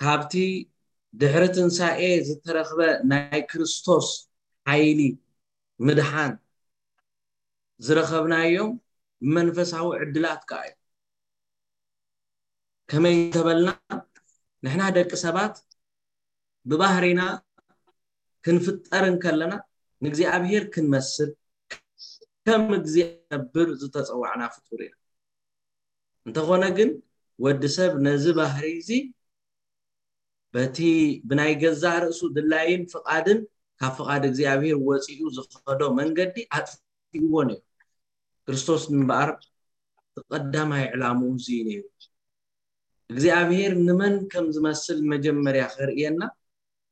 ካብቲ ድሕሪ ትንሳኤ ዝተረኽበ ናይ ክርስቶስ ሓይሊ ምድሓን ዝረኸብናዮም መንፈሳዊ ዕድላት ከኣ እዩ። ከመይ እንተበልና፣ ንሕና ደቂ ሰባት ብባህሪና ክንፍጠር እንከለና ንእግዚኣብሔር ክንመስል ከም እግዚኣብሔር ዝተጸዋዕና ፍጡር ኢና። እንተኾነ ግን ወዲ ሰብ ነዚ ባህሪ እዚ በቲ ብናይ ገዛእ ርእሱ ድላይን ፍቓድን ካብ ፍቓድ እግዚኣብሔር ወጺኡ ዝኸዶ መንገዲ ኣጥፊእዎ ነይሩ። ክርስቶስ እምበኣር ቀዳማይ ዕላምኡ እዚ ነይሩ። እግዚኣብሔር ንመን ከም ዝመስል መጀመርያ ከርእየና፣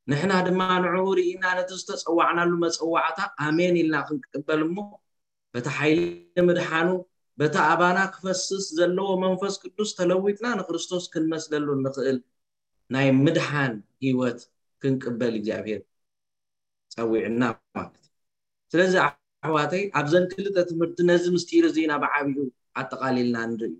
ንሕና ድማ ንዕኡ ርኢና ነቲ ዝተጸዋዕናሉ መጸዋዕታ ኣሜን ኢልና ክንቅበል እሞ፣ በቲ ሓይሊ ምድሓኑ፣ በቲ ኣባና ክፈስስ ዘለዎ መንፈስ ቅዱስ ተለዊጥና ንክርስቶስ ክንመስለሉ እንኽእል ናይ ምድሓን ህይወት ክንቅበል እግዚኣብሔር ጸዊዕና ማለት እዩ። ስለዚ ኣሕዋተይ ኣብዘን ክልተ ትምህርቲ ነዚ ምስጢር እዚ ኢና ብዓቢኡ ኣጠቓሊልና ንርእዮ።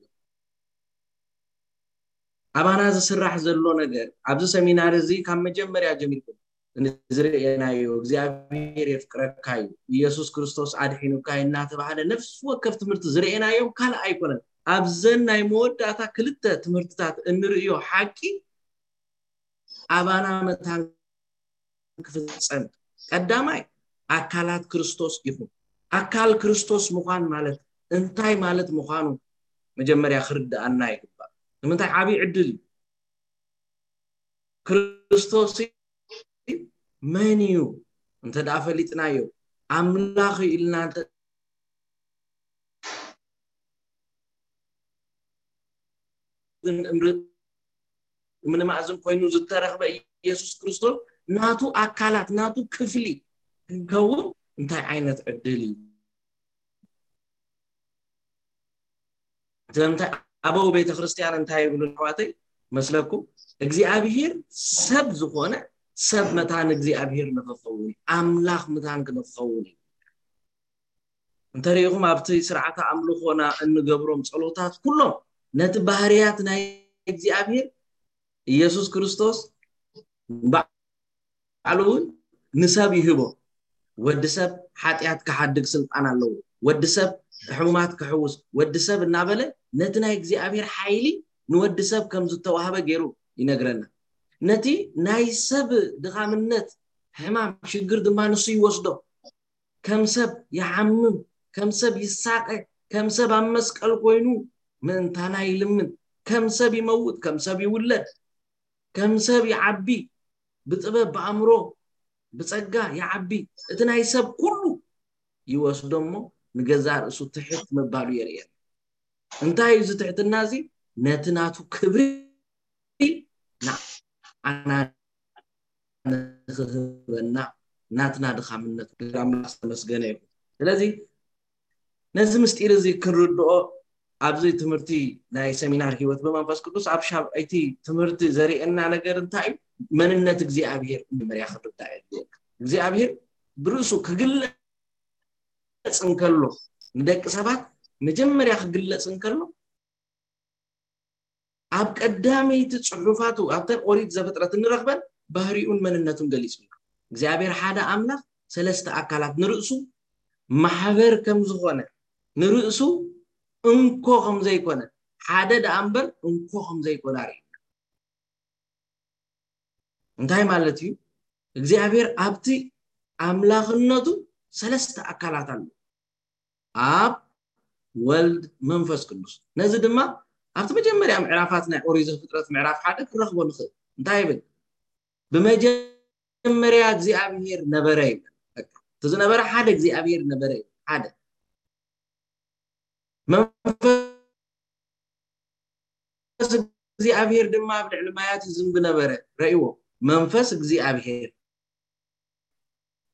ኣባና ዝስራሕ ዘሎ ነገር ኣብዚ ሰሚናር እዚ ካብ መጀመርያ ጀሚርኩም ንዝርእየናዮ እግዚኣብሔር የፍቅረካ እዩ፣ ኢየሱስ ክርስቶስ ኣድሒኑካ እዩ እናተባህለ ነፍሲ ወከፍ ትምህርቲ ዝርእየናዮም ካልእ ኣይኮነን። ኣብዘን ናይ መወዳእታ ክልተ ትምህርትታት እንርእዮ ሓቂ ኣባና መታን ክፍጸም ቀዳማይ ኣካላት ክርስቶስ ኢኹም። ኣካል ክርስቶስ ምዃን ማለት እንታይ ማለት ምዃኑ መጀመርያ ክርድኣና ይግባእ። ንምንታይ ዓብዪ ዕድል እዩ። ክርስቶስ መን እዩ እንተ ደኣ ፈሊጥናዮ፣ ኣምላኽ እዩ ኢልና እንተ ምንማእዝን ኮይኑ ዝተረኽበ ኢየሱስ ክርስቶስ ናቱ ኣካላት ናቱ ክፍሊ ክንከውን እንታይ ዓይነት ዕድል እዩ? ስለምንታይ ኣበው ቤተ ክርስቲያን እንታይ ይብሉ ኣሕዋተይ መስለኩም? እግዚኣብሔር ሰብ ዝኾነ ሰብ መታን እግዚኣብሔር ንኽኸውን እዩ፣ ኣምላኽ መታን ክንኸውን እዩ። እንተሪኢኹም ኣብቲ ስርዓተ ኣምልኾና እንገብሮም ጸሎታት ኩሎም ነቲ ባህርያት ናይ እግዚኣብሔር ኢየሱስ ክርስቶስ ባዕሉ እውን ንሰብ ይህቦ። ወዲ ሰብ ሓጢኣት ክሓድግ ስልጣን ኣለዎ። ወዲ ሰብ ሕሙማት ክሕውስ፣ ወዲ ሰብ እናበለ ነቲ ናይ እግዚኣብሔር ሓይሊ ንወዲ ሰብ ከም ዝተዋህበ ገይሩ ይነግረና። ነቲ ናይ ሰብ ድኻምነት ሕማም ሽግር ድማ ንሱ ይወስዶ። ከም ሰብ ይሓምም፣ ከም ሰብ ይሳቐ፣ ከም ሰብ ኣብ መስቀል ኮይኑ ምእንታና ይልምን፣ ከም ሰብ ይመውት፣ ከም ሰብ ይውለድ፣ ከም ሰብ ይዓቢ፣ ብጥበብ ብኣእምሮ ብጸጋ ይዓቢ። እቲ ናይ ሰብ ኩሉ ይወስዶ እሞ ንገዛእ ርእሱ ትሕት ምባሉ የርእየና። እንታይ እዩ እዚ ትሕትና እዚ? ነቲ ናቱ ክብሪ ንዓና ንኽህበና ናትና ድኻምነት ኣምላኽ ዝተመስገነ ይኹን። ስለዚ ነዚ ምስጢር እዚ ክንርድኦ ኣብዚ ትምህርቲ ናይ ሰሚናር ህይወት ብመንፈስ ቅዱስ ኣብ ሻብዐይቲ ትምህርቲ ዘርእየና ነገር እንታይ እዩ? መንነት እግዚኣብሔር መጀመርያ ክርዳእ የድልየካ። እግዚኣብሔር ብርእሱ ክግለጽ እንከሎ ንደቂ ሰባት መጀመርያ ክግለጽ እንከሎ ኣብ ቀዳመይቲ ጽሑፋቱ ኣብተን ኦሪት ዘፍጥረት እንረኽበን ባህሪኡን መንነቱን ገሊጹ። እግዚኣብሔር ሓደ ኣምላኽ ሰለስተ ኣካላት ንርእሱ ማሕበር ከም ዝኾነ ንርእሱ እንኮ ከም ዘይኮነ ሓደ ደኣ እምበር እንኮ ከም ዘይኮነ ኣርእዩ። እንታይ ማለት እዩ? እግዚኣብሔር ኣብቲ ኣምላኽነቱ ሰለስተ ኣካላት ኣሎ። ኣብ ወልድ መንፈስ ቅዱስ። ነዚ ድማ ኣብቲ መጀመርያ ምዕራፋት ናይ ኦሪት ዘፍጥረት ምዕራፍ ሓደ ክንረኽቦ ንኽእል። እንታይ ይብል? ብመጀመርያ እግዚኣብሔር ነበረ ይብል። በቃ፣ እቲ ዝነበረ ሓደ እግዚኣብሔር ነበረ ይብል። ሓደ መንፈስ እግዚኣብሔር ድማ ኣብ ልዕሊ ማያት ይዝንቢ ነበረ። ረእይዎ፣ መንፈስ እግዚኣብሔር።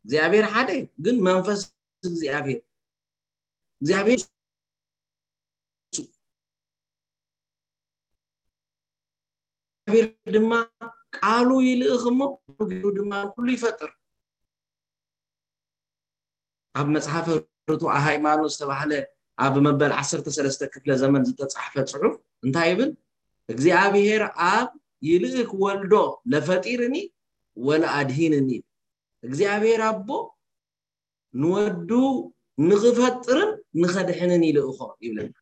እግዚኣብሔር ሓደ ግን መንፈስ እግዚኣብሔር እግዚኣብሔር እግዚኣብሔር ድማ ቃሉ ይልእኽ እሞ ገይሩ ድማ ኩሉ ይፈጥር። ኣብ መጽሓፈ ርቱዐ ሃይማኖት ዝተባህለ ኣብ መበል ዓሰርተ ሰለስተ ክፍለ ዘመን ዝተጻሕፈ ጽሑፍ እንታይ ይብል? እግዚኣብሔር ኣብ ይልእክ ወልዶ ለፈጢርኒ ወለኣድሂንኒ። እግዚኣብሔር ኣቦ ንወዱ ንኽፈጥርን ንኸድሕንን ይልእኾ ይብለና።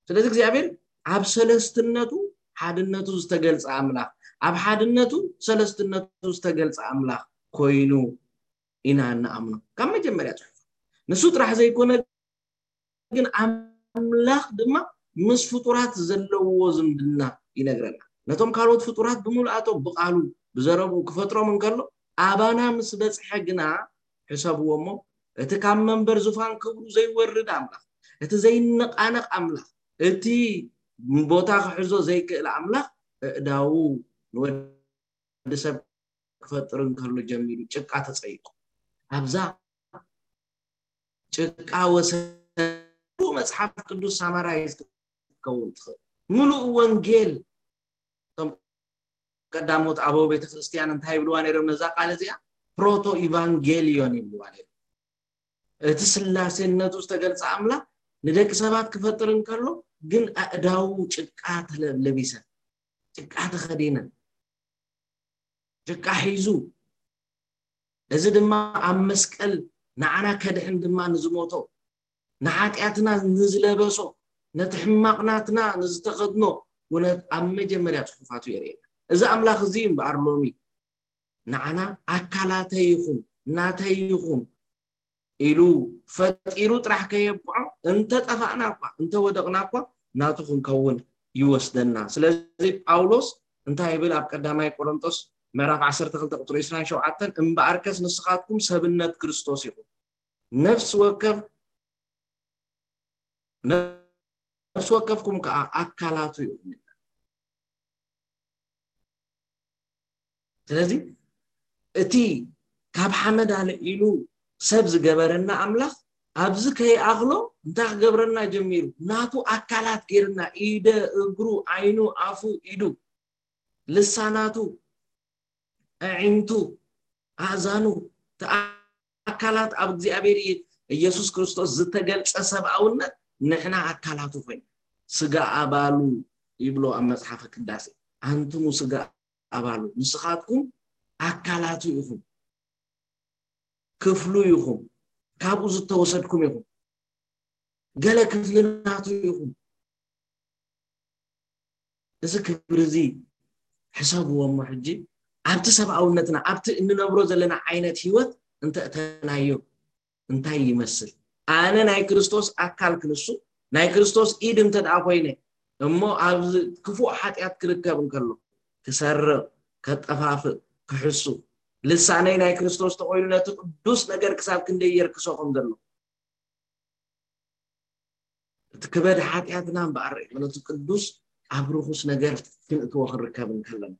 ስለዚ እግዚኣብሔር ኣብ ሰለስትነቱ ሓድነቱ ዝተገልጸ ኣምላኽ፣ ኣብ ሓድነቱ ሰለስትነቱ ዝተገልጸ ኣምላኽ ኮይኑ ኢና እንኣምኖ ካብ መጀመርያ ጽሑፍ። ንሱ ጥራሕ ዘይኮነ ግን ኣምላኽ ድማ ምስ ፍጡራት ዘለዎ ዝምድና ይነግረና። ነቶም ካልኦት ፍጡራት ብምልኣቶም ብቓሉ ብዘረብኡ ክፈጥሮም እንከሎ ኣባና ምስ በጽሐ ግና ሕሰብዎ እሞ እቲ ካብ መንበር ዙፋን ክብሩ ዘይወርድ ኣምላኽ፣ እቲ ዘይነቓነቕ ኣምላኽ፣ እቲ ቦታ ክሕዞ ዘይክእል ኣምላኽ እእዳዉ ንወዲ ሰብ ክፈጥር እንከሎ ጀሚሩ ጭቃ ተጸይቁ። ኣብዛ ጭቃ ወሰዱ መጽሓፍ ቅዱስ ሳማራይዝ ክትከውን ትኽእል። ምሉእ ወንጌል እቶም ቀዳሞት ኣበው ቤተክርስትያን እንታይ ይብልዋ ነይሮም? ነዛ ቃል እዚኣ ፕሮቶ ኢቫንጌልዮን ይብልዋ ነይሮም። እቲ ስላሴነቱ ዝተገልጸ ኣምላኽ ንደቂ ሰባት ክፈጥር እንከሎ ግን ኣእዳዉ ጭቃ ተለብለቢሰን፣ ጭቃ ተኸዲነን፣ ጭቃ ሒዙ፣ እዚ ድማ ኣብ መስቀል ንዓና ከድሕን ድማ ንዝሞቶ፣ ንሓጢኣትና ንዝለበሶ፣ ነቲ ሕማቕናትና ንዝተኸድኖ ኩነት ኣብ መጀመርያ ጽሑፋቱ የርእየና። እዚ ኣምላኽ እዚ እምበኣር ሎሚ ንዓና ኣካላተይ ይኹን ናተይ ይኹን ኢሉ ፈጢሩ ጥራሕ ከየብቅዖ፣ እንተ ጠፋእና እኳ፣ እንተ ወደቕና እኳ ናቱ ክንከውን ይወስደና። ስለዚ ጳውሎስ እንታይ ይብል ኣብ ቀዳማይ ቆሮንቶስ ምዕራፍ ዓሰርተ ክልተ ቁጽሪ ዕስራን ሸውዓተን፣ እምበኣርከስ ንስኻትኩም ሰብነት ክርስቶስ ኢኹም፣ ነፍሲ ወከፍ ነፍሲ ወከፍኩም ከዓ ኣካላቱ ኢኹም። ስለዚ እቲ ካብ ሓመድ ኣልዒሉ ሰብ ዝገበረና ኣምላኽ ኣብዚ ከይኣኽሎ እንታይ ክገብረና ጀሚሩ? ናቱ ኣካላት ገይርና፣ ኢደ፣ እግሩ፣ ዓይኑ፣ ኣፉ፣ ኢዱ፣ ልሳናቱ፣ ኣዒንቱ፣ ኣእዛኑ፣ እቲ ኣካላት ኣብ እግዚኣብሔር ኢየሱስ ክርስቶስ ዝተገልጸ ሰብኣውነት ንሕና ኣካላቱ ኮይኑ ስጋ ኣባሉ ይብሎ ኣብ መጽሓፈ ቅዳሴ። ኣንትሙ ስጋ ኣባሉ፣ ንስኻትኩም ኣካላቱ ኢኹም፣ ክፍሉ ኢኹም፣ ካብኡ ዝተወሰድኩም ኢኹም፣ ገለ ክፍሊ ናቱ ኢኹም። እዚ ክብሪ እዚ ሕሰብዎ እሞ ሕጂ ኣብቲ ሰብኣውነትና፣ ኣብቲ እንነብሮ ዘለና ዓይነት ህይወት እንተእተናዮ እንታይ ይመስል? ኣነ ናይ ክርስቶስ ኣካል ክንሱ፣ ናይ ክርስቶስ ኢድ እንተ ደኣ ኮይነ፣ እሞ ኣብዚ ክፉእ ሓጢኣት ክርከብ እንከሎ፣ ክሰርቕ፣ ከጠፋፍእ፣ ክሕሱ፣ ልሳነይ ናይ ክርስቶስ ተኾይኑ ነቲ ቅዱስ ነገር ክሳብ ክንደይ የርክሶ ከም ዘሎ፣ እቲ ክበድ ሓጢኣትና እምበኣር ርእዩ ነቲ ቅዱስ ኣብ ርኹስ ነገር ክንእትዎ ክንርከብ እንከለና።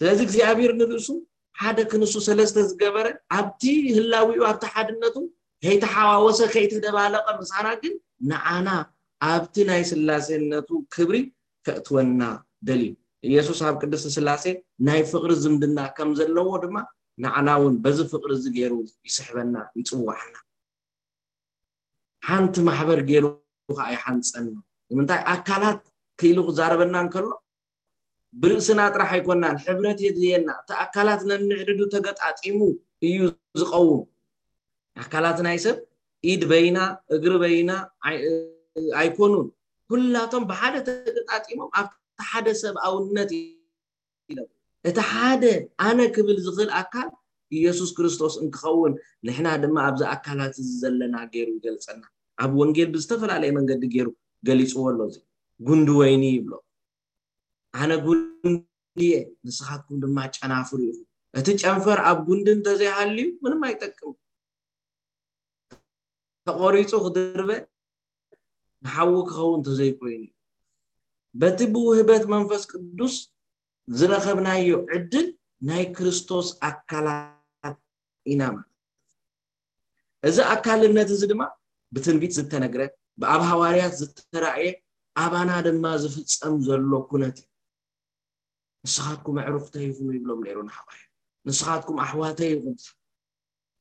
ስለዚ እግዚኣብሔር ንርእሱ ሓደ ክንሱ ሰለስተ ዝገበረ ኣብቲ ህላዊኡ ኣብቲ ሓድነቱ ከይተሓዋወሰ ከይተደባለቐ ምሳና ግን ንዓና ኣብቲ ናይ ስላሴነቱ ክብሪ ከእትወና ደልዩ። ኢየሱስ ኣብ ቅድስቲ ስላሴ ናይ ፍቕሪ ዝምድና ከም ዘለዎ ድማ ንዓና እውን በዚ ፍቕሪ እዚ ገይሩ ይስሕበና፣ ይጽውዓና። ሓንቲ ማሕበር ገይሩ ከዓ ይሓንጸና። ንምንታይ ኣካላት ክኢሉ ክዛረበና እንከሎ ብርእስና ጥራሕ ኣይኮናን፣ ሕብረት የድልየና። እቲ ኣካላት ነንሕድሕዱ ተገጣጢሙ እዩ ዝቐውም። ኣካላት ናይ ሰብ ኢድ በይና፣ እግሪ በይና ኣይ-፣ ኣይኮኑን። ኩላቶም ብሓደ ተገጣጢሞም ኣብቲ ሓደ ሰብኣውነት ኢሎም። እቲ ሓደ ኣነ ክብል ዝኽእል ኣካል ኢየሱስ ክርስቶስ እንክኸውን፣ ንሕና ድማ ኣብዚ ኣካላት እዚ ዘለና ገይሩ ይገልጸና። ኣብ ወንጌል ብዝተፈላለየ መንገዲ ገይሩ ገሊጽዎ ኣሎ። እዚ ጉንዲ ወይኒ ይብሎ። ኣነ ጉንዲ እየ፣ ንስኻትኩም ድማ ጨናፍር ኢኹም። እቲ ጨንፈር ኣብ ጉንዲ እንተዘይሃልዩ ምንም ኣይጠቅም። ተቖሪጹ ክድርበ ንሓዊ ክኸውን እንተዘይኮይኑ፣ በቲ ብውህበት መንፈስ ቅዱስ ዝረኸብናዮ ዕድል ናይ ክርስቶስ ኣካላት ኢና ማለት። እዚ ኣካልነት እዚ ድማ ብትንቢት ዝተነግረ፣ ብኣብ ሃዋርያት ዝተራእየ፣ ኣባና ድማ ዝፍጸም ዘሎ ኩነት እዩ። ንስኻትኩም ኣዕሩኽተይ ኢኹም ይብሎም ነይሩ ንሃዋርያት። ንስኻትኩም ኣሕዋተይ ኢኹም።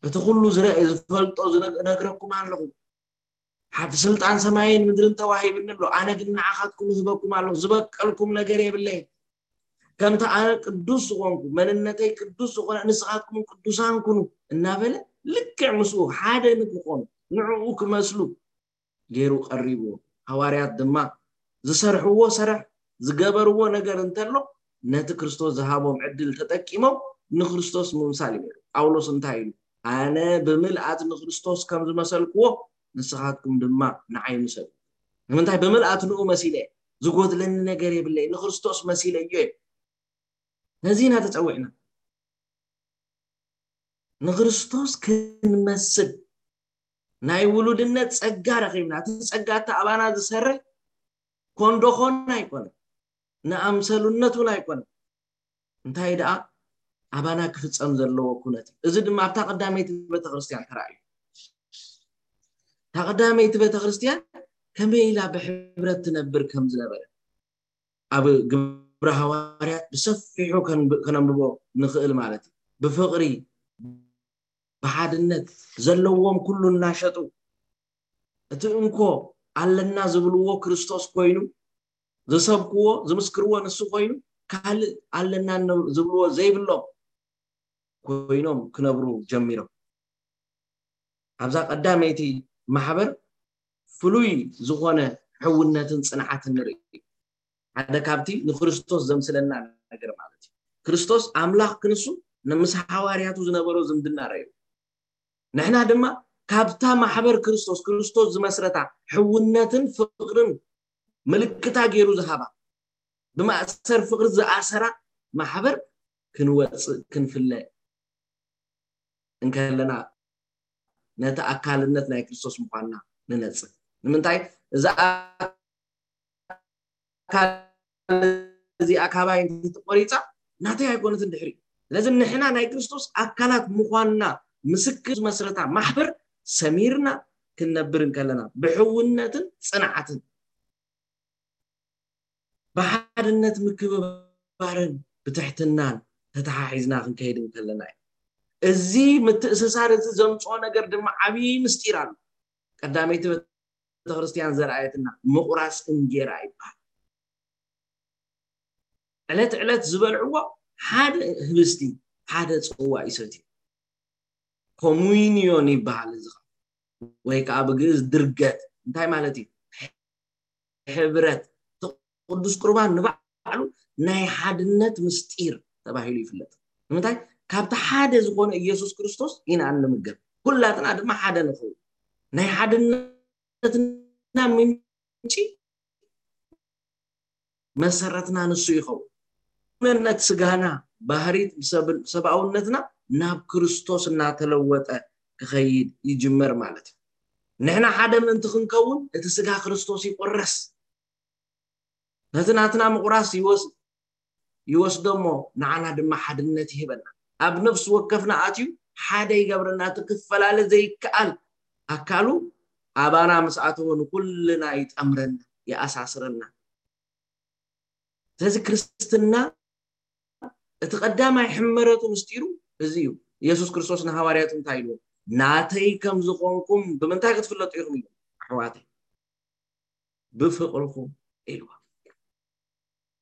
እቲ ኩሉ ዝረ-፣ ዝፈልጦ ዝነ-፣ እነግረኩም ኣለኹ። ሓንቲ ስልጣን ሰማይን ምድርን ተዋሂብኒ ኣሎ። ኣነ ግን ንዓኻትኩም እህበኩም ኣለኹ። ዝበቀልኩም ነገር የብለይን። ከምቲ ኣነ ቅዱስ ዝኾንኩ፣ መንነተይ ቅዱስ ዝኾነ፣ ንስኻትኩም ቅዱሳን ኩኑ እናበለ፣ ልክዕ ምስኡ ሓደ ንክኾኑ፣ ንዕኡ ክመስሉ ገይሩ ቀሪብዎ። ሃዋርያት ድማ ዝሰርሕዎ ስራሕ፣ ዝገበርዎ ነገር እንተሎ፣ ነቲ ክርስቶስ ዝሃቦም ዕድል ተጠቂሞም ንክርስቶስ ምምሳል እዩ። ጳውሎስ እንታይ ኢሉ? ኣነ ብምልኣት ንክርስቶስ ከም ዝመሰልክዎ፣ ንስኻትኩም ድማ ንዓይ ምሰሉ። ንምንታይ? ብምልኣት ንኡ መሲለ እየ። ዝጎድለኒ ነገር የብለይ፣ ንክርስቶስ መሲለ እዮ። ነዚ ኢና ተጸዊዕና። ንክርስቶስ ክንመስል ናይ ውሉድነት ጸጋ ረኺብና። እቲ ጸጋ እቲ ኣባና ዝሰርሕ ኮንዶ ኮን ኣይኮነን፣ ንኣምሰሉነት እውን ኣይኮነን። እንታይ ደኣ ኣባና ክፍጸም ዘለዎ ኩነት እዩ። እዚ ድማ ኣብታ ቀዳመይቲ ቤተክርስትያን ተራእዩ። እታ ቀዳመይቲ ቤተክርስትያን ከመይ ኢላ ብሕብረት ትነብር ከም ዝነበረ ኣብ ግብረ ሃዋርያት ብሰፊሑ ከንብ-፣ ከነንብቦ ንኽእል ማለት እዩ። ብፍቕሪ፣ ብሓድነት ዘለዎም ኩሉ እናሸጡ እቲ እንኮ ኣለና ዝብልዎ ክርስቶስ ኮይኑ፣ ዝሰብክዎ፣ ዝምስክርዎ ንሱ ኮይኑ፣ ካልእ ኣለና ነ-፣ ዝብልዎ ዘይብሎም ኮይኖም ክነብሩ ጀሚሮም። ኣብዛ ቀዳመይቲ ማሕበር ፍሉይ ዝኾነ ሕውነትን ጽንዓትን ንርኢ። ሓደ ካብቲ ንክርስቶስ ዘምስለና ነገር ማለት እዩ። ክርስቶስ ኣምላኽ ክንሱ ንምስ ሃዋርያቱ ዝነበሮ ዝምድና ረዩ። ንሕና ድማ ካብታ ማሕበር ክርስቶስ፣ ክርስቶስ ዝመስረታ ሕውነትን ፍቕርን ምልክታ ገይሩ ዝሃባ፣ ብማእሰር ፍቕሪ ዝኣሰራ ማሕበር ክንወጽእ፣ ክንፍለ እንከለና፣ ነቲ ኣካልነት ናይ ክርስቶስ ምዃንና ንነጽር። ንምንታይ? እዛ ኣካል እዚኣ ካባይ እንተተቆሪጻ፣ ናተይ ኣይኮነትን ድሕሪ። ስለዚ ንሕና ናይ ክርስቶስ ኣካላት ምዃንና ምስክር ዝመስረታ ማሕበር ሰሚርና ክንነብር እንከለና፣ ብሕውነትን ጽንዓትን፣ ብሓድነት ምክብባርን ብትሕትናን ተተሓሒዝና ክንከይድ እንከለና እዩ። እዚ ምትእስሳር እዚ ዘምጽኦ ነገር ድማ ዓብዪ ምስጢር ኣሎ። ቀዳመይቲ ቤተክርስትያን ዘርኣየትና ምቑራስ እንጌራ ይበሃል። ዕለት ዕለት ዝበልዕዎ ሓደ ህብስቲ፣ ሓደ ጽዋ ይሰትዩ። ኮሙኒዮን ይበሃል እዚ ኸዓ። ወይ ከዓ ብግእዝ ድርገት። እንታይ ማለት እዩ? ሕብረት። እቲ ቅዱስ ቁርባን ንባዕሉ ናይ ሓድነት ምስጢር ተባሂሉ ይፍለጥ። ንምንታይ? ካብቲ ሓደ ዝኾነ ኢየሱስ ክርስቶስ ኢና እንምገብ። ኩላትና ድማ ሓደ ንኸውን። ናይ ሓድነትና ምንጪ መሰረትና ንሱ ይኸውን። መንነት ስጋና፣ ባህሪት ሰብ-፣ ሰብኣውነትና ናብ ክርስቶስ እናተለወጠ ክኸይድ ይጅመር ማለት እዩ። ንሕና ሓደ ምእንቲ ክንከውን እቲ ስጋ ክርስቶስ ይቁረስ። ነቲ ናትና ምቑራስ ይወስ-፣ ይወስዶ እሞ ንዓና ድማ ሓድነት ይህበና። ኣብ ነፍሲ ወከፍና ኣትዩ ሓደ ይገብረና። እቲ ክፈላለ ዘይከኣል ኣካሉ ኣባና ምስ ኣተወ ንኩልና ይጠምረና፣ ይኣሳስረና። ስለዚ ክርስትና እቲ ቀዳማይ ሕመረቱ ምስጢሩ እዚ እዩ። ኢየሱስ ክርስቶስ ንሃዋርያቱ እንታይ ኢልዎ? ናተይ ከም ዝኾንኩም ብምንታይ ክትፍለጡ ኢኹም ኢሉ? ኣሕዋተይ፣ ብፍቕርኹም ኢልዎ።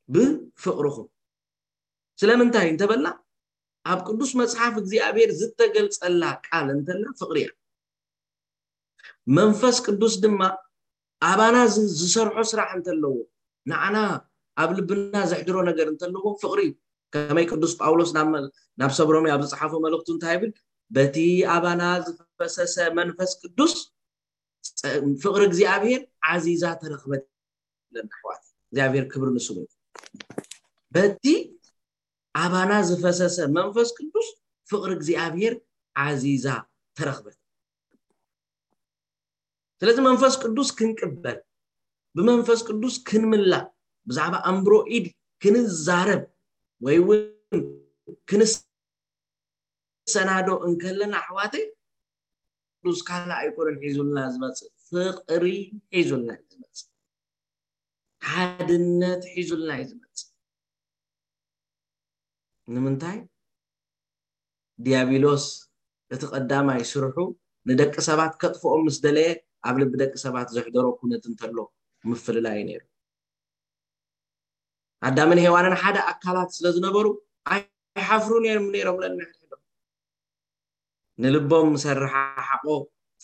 ብፍቕርኹም። ስለምንታይ እንተበልና፣ ኣብ ቅዱስ መጽሓፍ እግዚኣብሔር ዝተገልጸላ ቃል እንተላ ፍቕሪ እያ። መንፈስ ቅዱስ ድማ ኣባና ዝ-፣ ዝሰርሖ ስራሕ እንተለዎ፣ ንዓና ኣብ ልብና ዘሕድሮ ነገር እንተለዎ ፍቕሪ እዩ። ከመይ ቅዱስ ጳውሎስ ናብ መ-፣ ናብ ሰብ ሮሜ ኣብ ዝጸሓፎ መልእኽቱ እንታይ ይብል? በቲ ኣባና ዝፈሰሰ መንፈስ ቅዱስ ጸ-፣ ፍቕሪ እግዚኣብሔር ዓዚዛ ተረኽበት ይብለና ኣሕዋት። እግዚኣብሔር ክብሪ ንስሙ ይኹን። በቲ ኣባና ዝፈሰሰ መንፈስ ቅዱስ ፍቕሪ እግዚኣብሔር ዓዚዛ ተረኽበት። ስለዚ መንፈስ ቅዱስ ክንቅበል፣ ብመንፈስ ቅዱስ ክንምላእ፣ ብዛዕባ ኣምብሮ ኢድ ክንዛረብ ወይ እውን ክንሰናዶ እንከለና ኣሕዋተይ፣ ቅዱስ ካልእ ኣይኮነን ሒዙልና ዝመጽእ፣ ፍቕሪ ሒዙልና እዩ ዝመጽእ። ሓድነት ሒዙልና እዩ ዝመጽእ። ንምንታይ? ዲያብሎስ እቲ ቀዳማይ ስርሑ ንደቂ ሰባት ከጥፍኦም ምስ ደለየ ኣብ ልቢ ደቂ ሰባት ዘሕደሮ ኩነት እንተሎ ምፍልላይ እዩ ነይሩ። ኣዳምን ሄዋንን ሓደ ኣካላት ስለ ዝነበሩ ኣይሓፍሩን እዮም ነይሮም። ለንሕድሕዶም ንልቦም ምስ ኣረሓሓቆ፣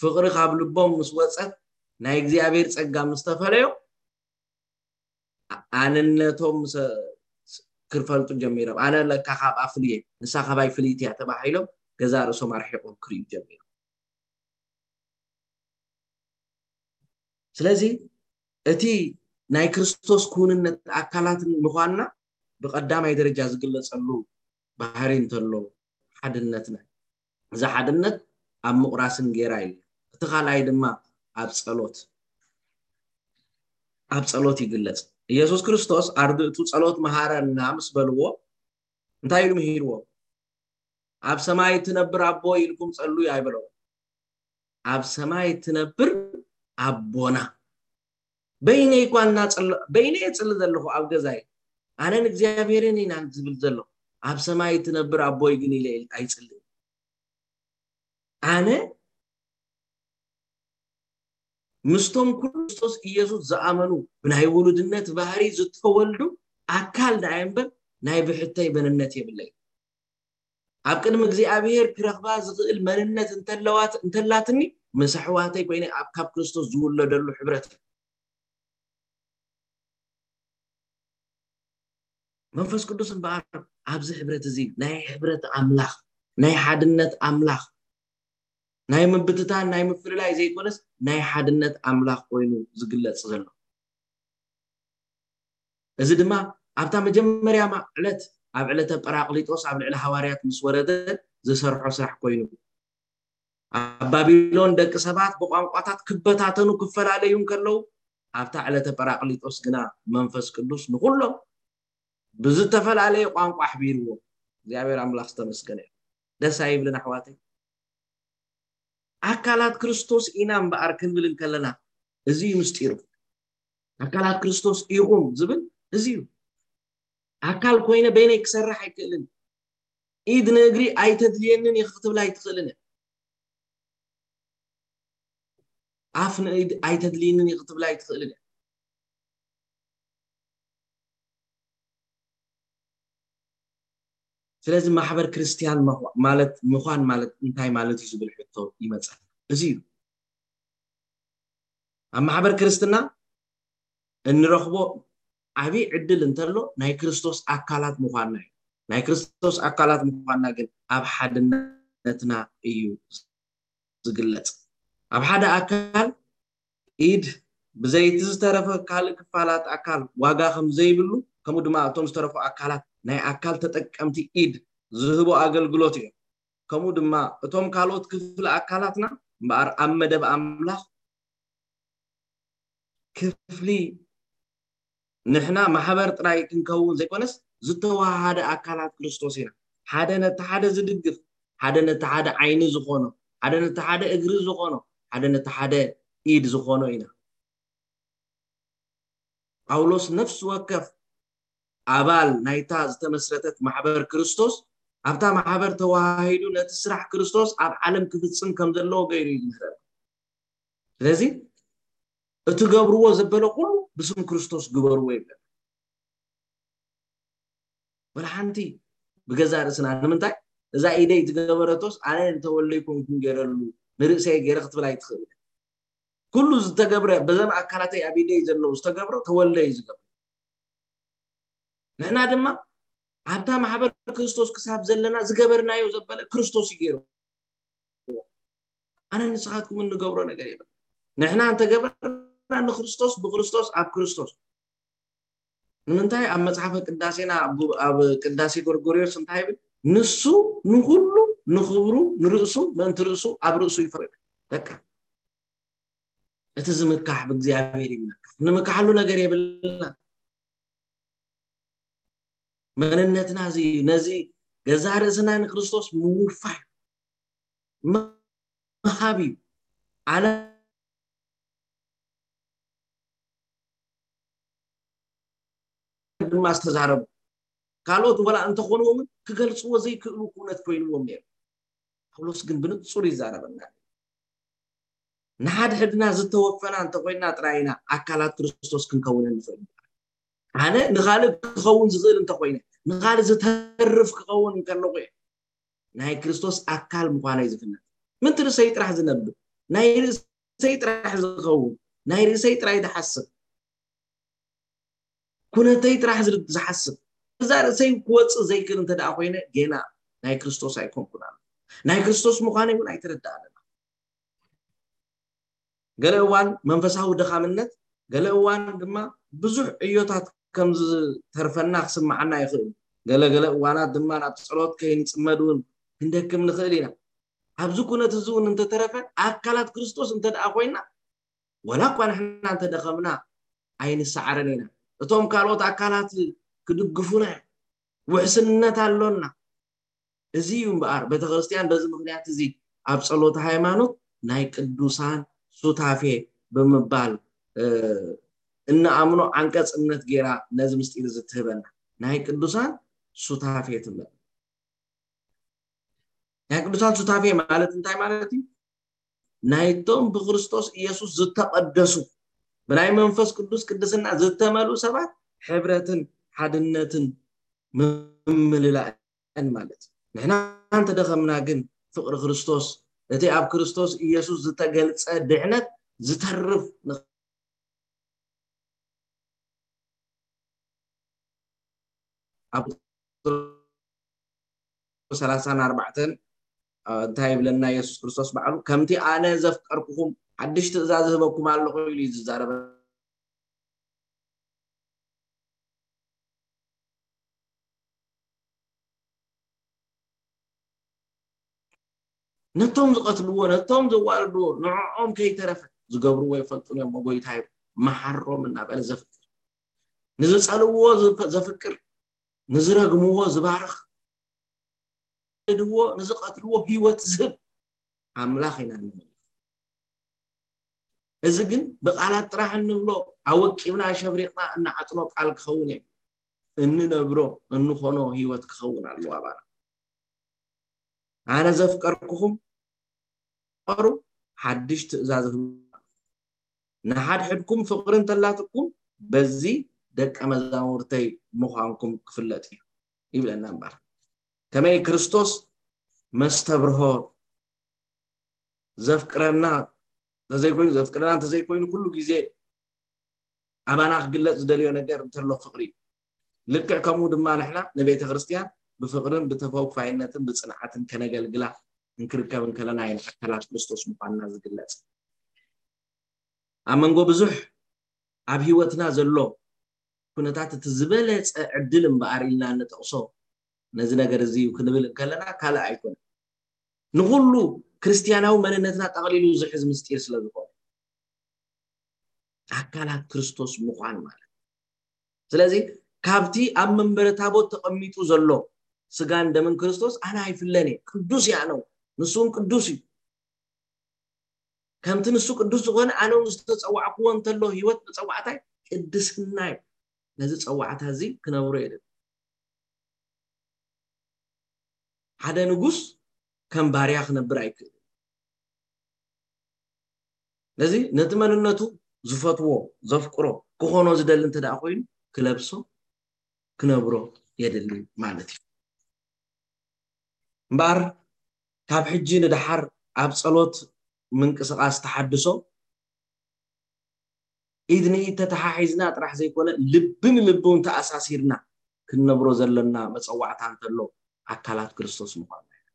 ፍቕሪ ካብ ልቦም ምስ ወፀት፣ ናይ እግዚኣብሔር ጸጋ ምስ ተፈለዮ፣ ኣነነቶም ክፈልጡ ጀሚሮም። ኣነ ለካ ካብኣ ፍልየ፣ ንሳ ካባይ ፍልይቲ እያ ተባሂሎም ገዛ ርእሶም ኣርሒቆም ክርእዩ ጀሚሮም። ስለዚ እቲ ናይ ክርስቶስ ክውንነት ኣካላት ምዃንና ብቐዳማይ ደረጃ ዝግለጸሉ ባህሪ እንተሎ ሓድነትና፣ እዚ ሓድነት ኣብ ምቑራስን ጌራ እዩ። እቲ ካልኣይ ድማ ኣብ ጸሎት፣ ኣብ ጸሎት ይግለጽ። ኢየሱስ ክርስቶስ ኣርድእቱ ጸሎት መሃረና ምስ በልዎ እንታይ ኢሉ ምሂርዎ? ኣብ ሰማይ እትነብር ኣቦ ኢልኩም ጸልዩ ኣይበሎም። ኣብ ሰማይ እትነብር ኣቦና፣ በይነይ እኳ እናጸለ-፣ በይነይ እጽሊ ዘለኹ ኣብ ገዛይ፣ ኣነን እግዚኣብሔርን ኢና ዝብል ዘለኹ። ኣብ ሰማይ እትነብር ኣቦይ ግን ኢለ ኣይጽልን። ኣነ ምስቶም ክርስቶስ ኢየሱስ ዝኣመኑ ብናይ ውሉድነት ባህሪ ዝተወልዱ ኣካል ደኣ እምበር ናይ ብሕተይ መንነት የብለይ። ኣብ ቅድሚ እግዚኣብሔር ክረኽባ ዝኽእል መንነት እንተለዋት-፣ እንተላትኒ፣ ምስ ኣሕዋተይ ኮይነ ኣብ ካብ ክርስቶስ ዝውለደሉ ሕብረት እዩ። መንፈስ ቅዱስ እምበኣር ኣብዚ ሕብረት እዚ ናይ ሕብረት ኣምላኽ፣ ናይ ሓድነት ኣምላኽ፣ ናይ ምብትታን፣ ናይ ምፍልላይ ዘይኮነስ ናይ ሓድነት ኣምላኽ ኮይኑ ዝግለጽ ዘሎ። እዚ ድማ ኣብታ መጀመርያ ማ-፣ ዕለት ኣብ ዕለተ ጳራቅሊጦስ ኣብ ልዕሊ ሃዋርያት ምስ ወረደ ዝሰርሖ ስራሕ ኮይኑ። ኣብ ባቢሎን ደቂ ሰባት ብቋንቋታት ክበታተኑ ክፈላለዩ እንከለዉ፣ ኣብታ ዕለተ ጳራቅሊጦስ ግና መንፈስ ቅዱስ ንኹሎም ብዝተፈላለየ ቋንቋ ኣሕቢርዎም። እግዚኣብሔር ኣምላኽ ዝተመስገነ እዩ። ደስ ኣይብልን ኣሕዋተይ? ኣካላት ክርስቶስ ኢና እምበኣር ክንብል እንከለና፣ እዚ እዩ ምስጢሩ። ኣካላት ክርስቶስ ኢኹም ዝብል እዚ እዩ። ኣካል ኮይነ በይነይ ክሰርሕ ኣይክእልን። ኢድ ንእግሪ ኣይተድልየንን እየ ክትብል ኣይትኽእልን እያ። ኣፍ ንኢድ ኣይተድልየንን እየ ክትብል ኣይትኽእልን እያ። ስለዚ ማሕበር ክርስቲያን ምዃ-፣ ማለት፣ ምዃን ማለት እንታይ ማለት እዩ ዝብል ሕቶ ይመጽእ። እዚ እዩ። ኣብ ማሕበር ክርስትና እንረኽቦ ዓብዪ ዕድል እንተሎ ናይ ክርስቶስ ኣካላት ምዃንና እዩ። ናይ ክርስቶስ ኣካላት ምዃንና ግን ኣብ ሓድነትና እዩ ዝግለጽ። ኣብ ሓደ ኣካል ኢድ ብዘይቲ ዝተረፈ ካልእ ክፋላት ኣካል ዋጋ ከም ዘይብሉ፣ ከምኡ ድማ እቶም ዝተረፉ ኣካላት ናይ ኣካል ተጠቀምቲ ኢድ ዝህቦ ኣገልግሎት እዮም። ከምኡ ድማ እቶም ካልኦት ክፍሊ ኣካላትና እምበኣር ኣብ መደብ ኣምላኽ ክፍሊ ንሕና ማሕበር ጥራይ ክንከውን ዘይኮነስ ዝተዋሃደ ኣካላት ክርስቶስ ኢና። ሓደ ነቲ ሓደ ዝድግፍ፣ ሓደ ነቲ ሓደ ዓይኒ ዝኾኖ፣ ሓደ ነቲ ሓደ እግሪ ዝኾኖ፣ ሓደ ነቲ ሓደ ኢድ ዝኾኖ ኢና። ጳውሎስ ነፍሲ ወከፍ ኣባል ናይታ ዝተመስረተት ማሕበር ክርስቶስ ኣብታ ማሕበር ተዋሃሂዱ ነቲ ስራሕ ክርስቶስ ኣብ ዓለም ክፍጽም ከም ዘለዎ ገይሩ እዩ ዝምህረና። ስለዚ እትገብርዎ ዘበለ ኩሉ ብስም ክርስቶስ ግበርዎ ይብለና። ወላ ሓንቲ ብገዛ ርእስና ንምንታይ እዛ ኢደይ ዝገበረቶስ ኣነ እንተወልደ ይኮንኩን ገይረሉ ንርእሰይ ገይረ ክትብል ኣይትኽእል። ኩሉ ዝተገብረ በዘም ኣካላተይ ኣብ ኢደይ ዘለዉ ዝተገብረ ተወልደ እዩ ዝገብረ። ንሕና ድማ ኣብታ ማሕበር ክርስቶስ ክሳብ ዘለና ዝገበርናዮ ዘበለ ክርስቶስ እዩ ገይሩ። ኣነ ንስኻትኩም እንገብሮ ነገር የብልና። ንሕና እንተገበርና ንክርስቶስ፣ ብክርስቶስ፣ ኣብ ክርስቶስ። ንምንታይ ኣብ መጽሓፈ ቅዳሴና ኣብ፣ ኣብ ቅዳሴ ጎርጎርዮስ እንታይ ይብል? ንሱ ንኹሉ ንኽብሩ ንርእሱ ምእንቲ ርእሱ ኣብ ርእሱ ይፈርድ። በቃ እቲ ዝምካሕ ብእግዚኣብሔር ይመካሕ። ንምካሓሉ ነገር የብልና። መንነትና እዚ እዩ። ነዚ ገዛ ርእስና ንክርስቶስ ምውፋይ ምሃብ እዩ። ዓለም ድማ ዝተዛረቡ ካልኦት ወላ እንተኾንዎም ክገልፅዎ ዘይክእሉ ኩነት ኮይንዎም ነይሩ። ጳውሎስ ግን ብንጹር ይዛረበና። ንሓድሕድና ዝተወፈና እንተኮይንና ጥራይ ኢና ኣካላት ክርስቶስ ክንከውን እንኽእል። ኣነ ንኻልእ ክኸውን ዝኽእል እንተኾይነ፣ ንኻልእ ዝተርፍ ክኸውን እንከለኹ እየ ናይ ክርስቶስ ኣካል ምዃነይ ዝፍለጥ። ምንቲ ርእሰይ ጥራሕ ዝነብር፣ ናይ ርእሰይ ጥራሕ ዝኸውን፣ ናይ ርእሰይ ጥራይ ዝሓስብ፣ ኩነተይ ጥራሕ ዝር- ዝሓስብ፣ እዛ ርእሰይ ክወፅእ ዘይክእል እንተ ደኣ ኮይነ፣ ጌና ናይ ክርስቶስ ኣይኮንኩን ኣሎ። ናይ ክርስቶስ ምዃነይ እውን ኣይተረዳኣለና። ገለ እዋን መንፈሳዊ ድኻምነት፣ ገለ እዋን ድማ ብዙሕ ዕዮታት ከም ዝተርፈና ክስምዓና ይኽእል። ገለ ገለ እዋናት ድማ ናብ ጸሎት ከይንጽመድ እውን ክንደክም ንኽእል ኢና። ኣብዚ ኩነት እዚ እውን እንተተረፈ፣ ኣካላት ክርስቶስ እንተ ደኣ ኮይና፣ ወላ እኳ ንሕና እንተደኸምና ኣይንሰዓርን ኢና። እቶም ካልኦት ኣካላት ክድግፉና እዮም። ውሕስነት ኣሎና። እዚ እዩ እምበኣር ቤተክርስትያን በዚ ምኽንያት እዚ ኣብ ጸሎተ ሃይማኖት ናይ ቅዱሳን ሱታፌ ብምባል እ፣ እንኣምኖ ዓንቀጽ እምነት ገይራ ነዚ ምስጢር እዚ ትህበና። ናይ ቅዱሳን ሱታፌ ትብለና። ናይ ቅዱሳን ሱታፌ ማለት እንታይ ማለት እዩ? ናይቶም ብክርስቶስ ኢየሱስ ዝተቐደሱ፣ ብናይ መንፈስ ቅዱስ ቅድስና ዝተመልኡ ሰባት ሕብረትን ሓድነትን ምምልላእን ማለት እዩ። ንሕና እንተደኸምና ግን ፍቕሪ ክርስቶስ፣ እቲ ኣብ ክርስቶስ ኢየሱስ ዝተገልጸ ድሕነት ዝተርፍ ን- ኣብ ቁጽሪ ሰላሳን ኣርባዕተን፣ እ፣ እንታይ ይብለና የሱስ ክርስቶስ ባዕሉ? "ከምቲ ኣነ ዘፍቀርኩኹም ሓድሽ ትእዛዝ እህበኩም ኣለኹ" ኢሉ እዩ ዝዛረበ። ነቶም ዝቐትልዎ፣ ነቶም ዘዋርድዎ፣ ንዕኦም ከይተረፈ ዝገብርዎ ይፈልጡን እዮም፣ ጎይታይ መሓሮም እናበለ ዘፍቅር፣ ንዝጸልውዎ ዝፈ-፣ ዘፍቅር፣ ንዝረግምዎ ዝባርኽ፣ ንዝድዎ፣ ንዝቐትልዎ ህይወት ዝህብ ኣምላኽ ኢና ንመልኽ። እዚ ግን ብቓላት ጥራሕ እንብሎ፣ ኣወቂብና ኣሸብሪቕና እንዓጥኖ ቃል ክኸውን እዩ። እንነብሮ፣ እንኾኖ ህይወት ክኸውን ኣለዎ ኣባና። ኣነ ዘፍቀርኩኹም፣ ፍቐሩ፣ ሓድሽ ትእዛዝ እህብ-፣ ንሓድሕድኩም ፍቕሪ እንተላትኩም፣ በዚ ደቀ መዛሙርተይ ምዃንኩም ክፍለጥ እዩ ይብለና እምበር። ከመይ ክርስቶስ መስተብርሆ ዘፍቅረና እንተዘይኮይኑ፣ ዘፍቅረና እንተዘይኮይኑ፣ ኩሉ ግዜ ኣባና ክግለጽ ዝደልዮ ነገር እንተሎ ፍቕሪ እዩ። ልክዕ ከምኡ ድማ ንሕና ንቤተ ክርስቲያን ብፍቕርን ብተወፋይነትን ብጽንዓትን ከነገልግላ እንክርከብ እንከለና ኢና ኣካላት ክርስቶስ ምዃንና ዝግለጽ። ኣብ መንጎ ብዙሕ ኣብ ህይወትና ዘሎ ኩነታት እቲ ዝበለጸ ዕድል እምበኣር ኢልና እንጠቕሶ ነዚ ነገር እዚ እዩ ክንብል እንከለና ካልእ ኣይኮነን። ንኹሉ ክርስትያናዊ መንነትና ጠቕሊሉ ዝሕዝ ምስጢር ስለ ዝኾነ፣ ኣካላት ክርስቶስ ምዃን ማለት። ስለዚ ካብቲ ኣብ መንበረ ታቦት ተቐሚጡ ዘሎ ስጋን ደምን ክርስቶስ ኣነ ኣይፍለን እየ። ቅዱስ እየ ኣነ እውን፣ ንሱ እውን ቅዱስ እዩ። ከምቲ ንሱ ቅዱስ ዝኾነ ኣነ እውን ዝተጸዋዕክዎ እንተሎ ህይወት መጸዋዕታይ ቅድስና እዩ። ነዚ ጸዋዕታ እዚ ክነብሮ የድሊ። ሓደ ንጉስ ከም ባርያ ክነብር ኣይክእልን። ነዚ ነቲ መንነቱ ዝፈትዎ፣ ዘፍቅሮ፣ ክኾኖ ዝደሊ እንተ ደኣ ኮይኑ ክለብሶ፣ ክነብሮ የድሊ ማለት እዩ። እምበኣር ካብ ሕጂ ንደሓር ኣብ ጸሎት ምንቅስቓስ ተሓድሶ ኢድ ንኢድ ተተሓሒዝና ጥራሕ ዘይኮነ፣ ልቢ ንልቢ እውን ተኣሳሲርና ክንነብሮ ዘለና መጸዋዕታ እንተሎ ኣካላት ክርስቶስ ምዃንና ኢና።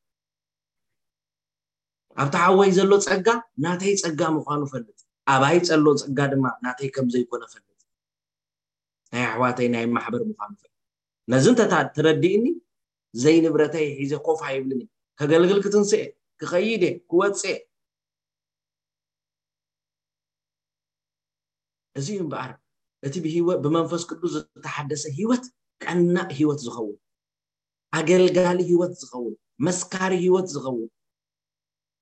ኣብቲ ሓወይ ዘሎ ጸጋ ናተይ ጸጋ ምዃኑ ፈልጥ፣ ኣባይ ዘሎ ጸጋ ድማ ናተይ ከም ዘይኮነ ፈልጥ፣ ናይ ኣሕዋተይ ናይ ማሕበር ምዃኑ ፈልጥ። ነዚ እንተ ታ-፣ ተረዲእኒ፣ ዘይንብረተይ ሒዘ ኮፍ ኣይብልን እየ። ከገልግል ክትንስእ እየ፣ ክኸይድ እየ፣ ክወጽእ እየ። እዚ እዩ እምበኣር እቲ ብህይወት፣ ብመንፈስ ቅዱስ ዝተሓደሰ ህይወት ቀናእ ህይወት ዝኸውን፣ ኣገልጋሊ ህይወት ዝኸውን፣ መስካሪ ህይወት ዝኸውን፣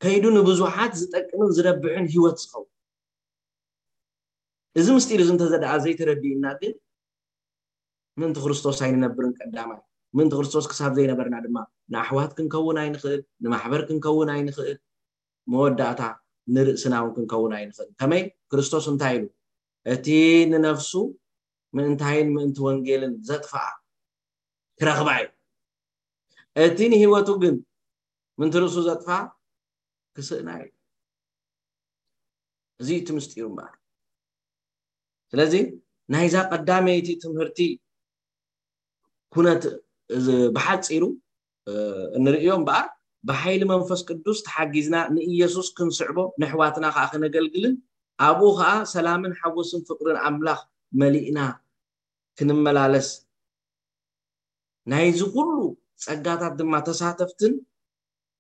ከይዱ ንብዙሓት ዝጠቅምን ዝረብሕን ህይወት ዝኸውን። እዚ ምስጢር እዚ እንተዘደኣ ዘይተረዲእና ግን ምእንቲ ክርስቶስ ኣይንነብርን ቀዳማይ። ምእንቲ ክርስቶስ ክሳብ ዘይነበርና ድማ ንኣሕዋት ክንከውን ኣይንኽእል፣ ንማሕበር ክንከውን ኣይንኽእል፣ መወዳእታ ንርእስና እውን ክንከውን ኣይንኽእል። ከመይ? ክርስቶስ እንታይ ኢሉ? እቲ ንነፍሱ ምእንታይን ምእንቲ ወንጌልን ዘጥፍኣ ክረኽባ እዩ። እቲ ንህይወቱ ግን ምእንቲ ርእሱ ዘጥፍኣ ክስእና እዩ። እዚ እቲ ምስጢሩ እምበኣር። ስለዚ ናይዛ ቀዳመይቲ ትምህርቲ ኩነት እዚ ብሓጺሩ እንርእዮ እምበኣር፣ ብሓይሊ መንፈስ ቅዱስ ተሓጊዝና ንኢየሱስ ክንስዕቦ፣ ንሕዋትና ከኣ ክነገልግልን ኣብኡ ከኣ ሰላምን ሓጎስን ፍቕርን ኣምላኽ መሊእና ክንመላለስ፣ ናይዚ ኩሉ ጸጋታት ድማ ተሳተፍትን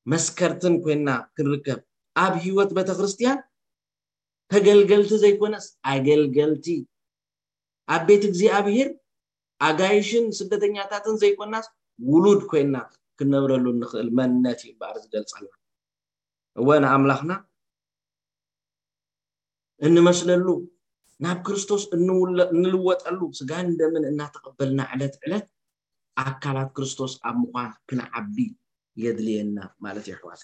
መስከርትን ኮይና ክንርከብ፣ ኣብ ህይወት ቤተክርስትያን ተገልገልቲ ዘይኮነስ ኣገልገልቲ፣ ኣብ ቤት እግዚኣብሔር ኣጋይሽን ስደተኛታትን ዘይኮናስ ውሉድ ኮይና ክንነብረሉ እንኽእል መንነት እዩ እምበኣር ዝገልጸልና። እወ ንኣምላኽና እንመስለሉ፣ ናብ ክርስቶስ እንውለ-፣ እንልወጠሉ፣ ስጋን ደምን እናተቐበልና ዕለት ዕለት ኣካላት ክርስቶስ ኣብ ምዃን ክንዓቢ የድልየና ማለት እዩ ኣሕዋት።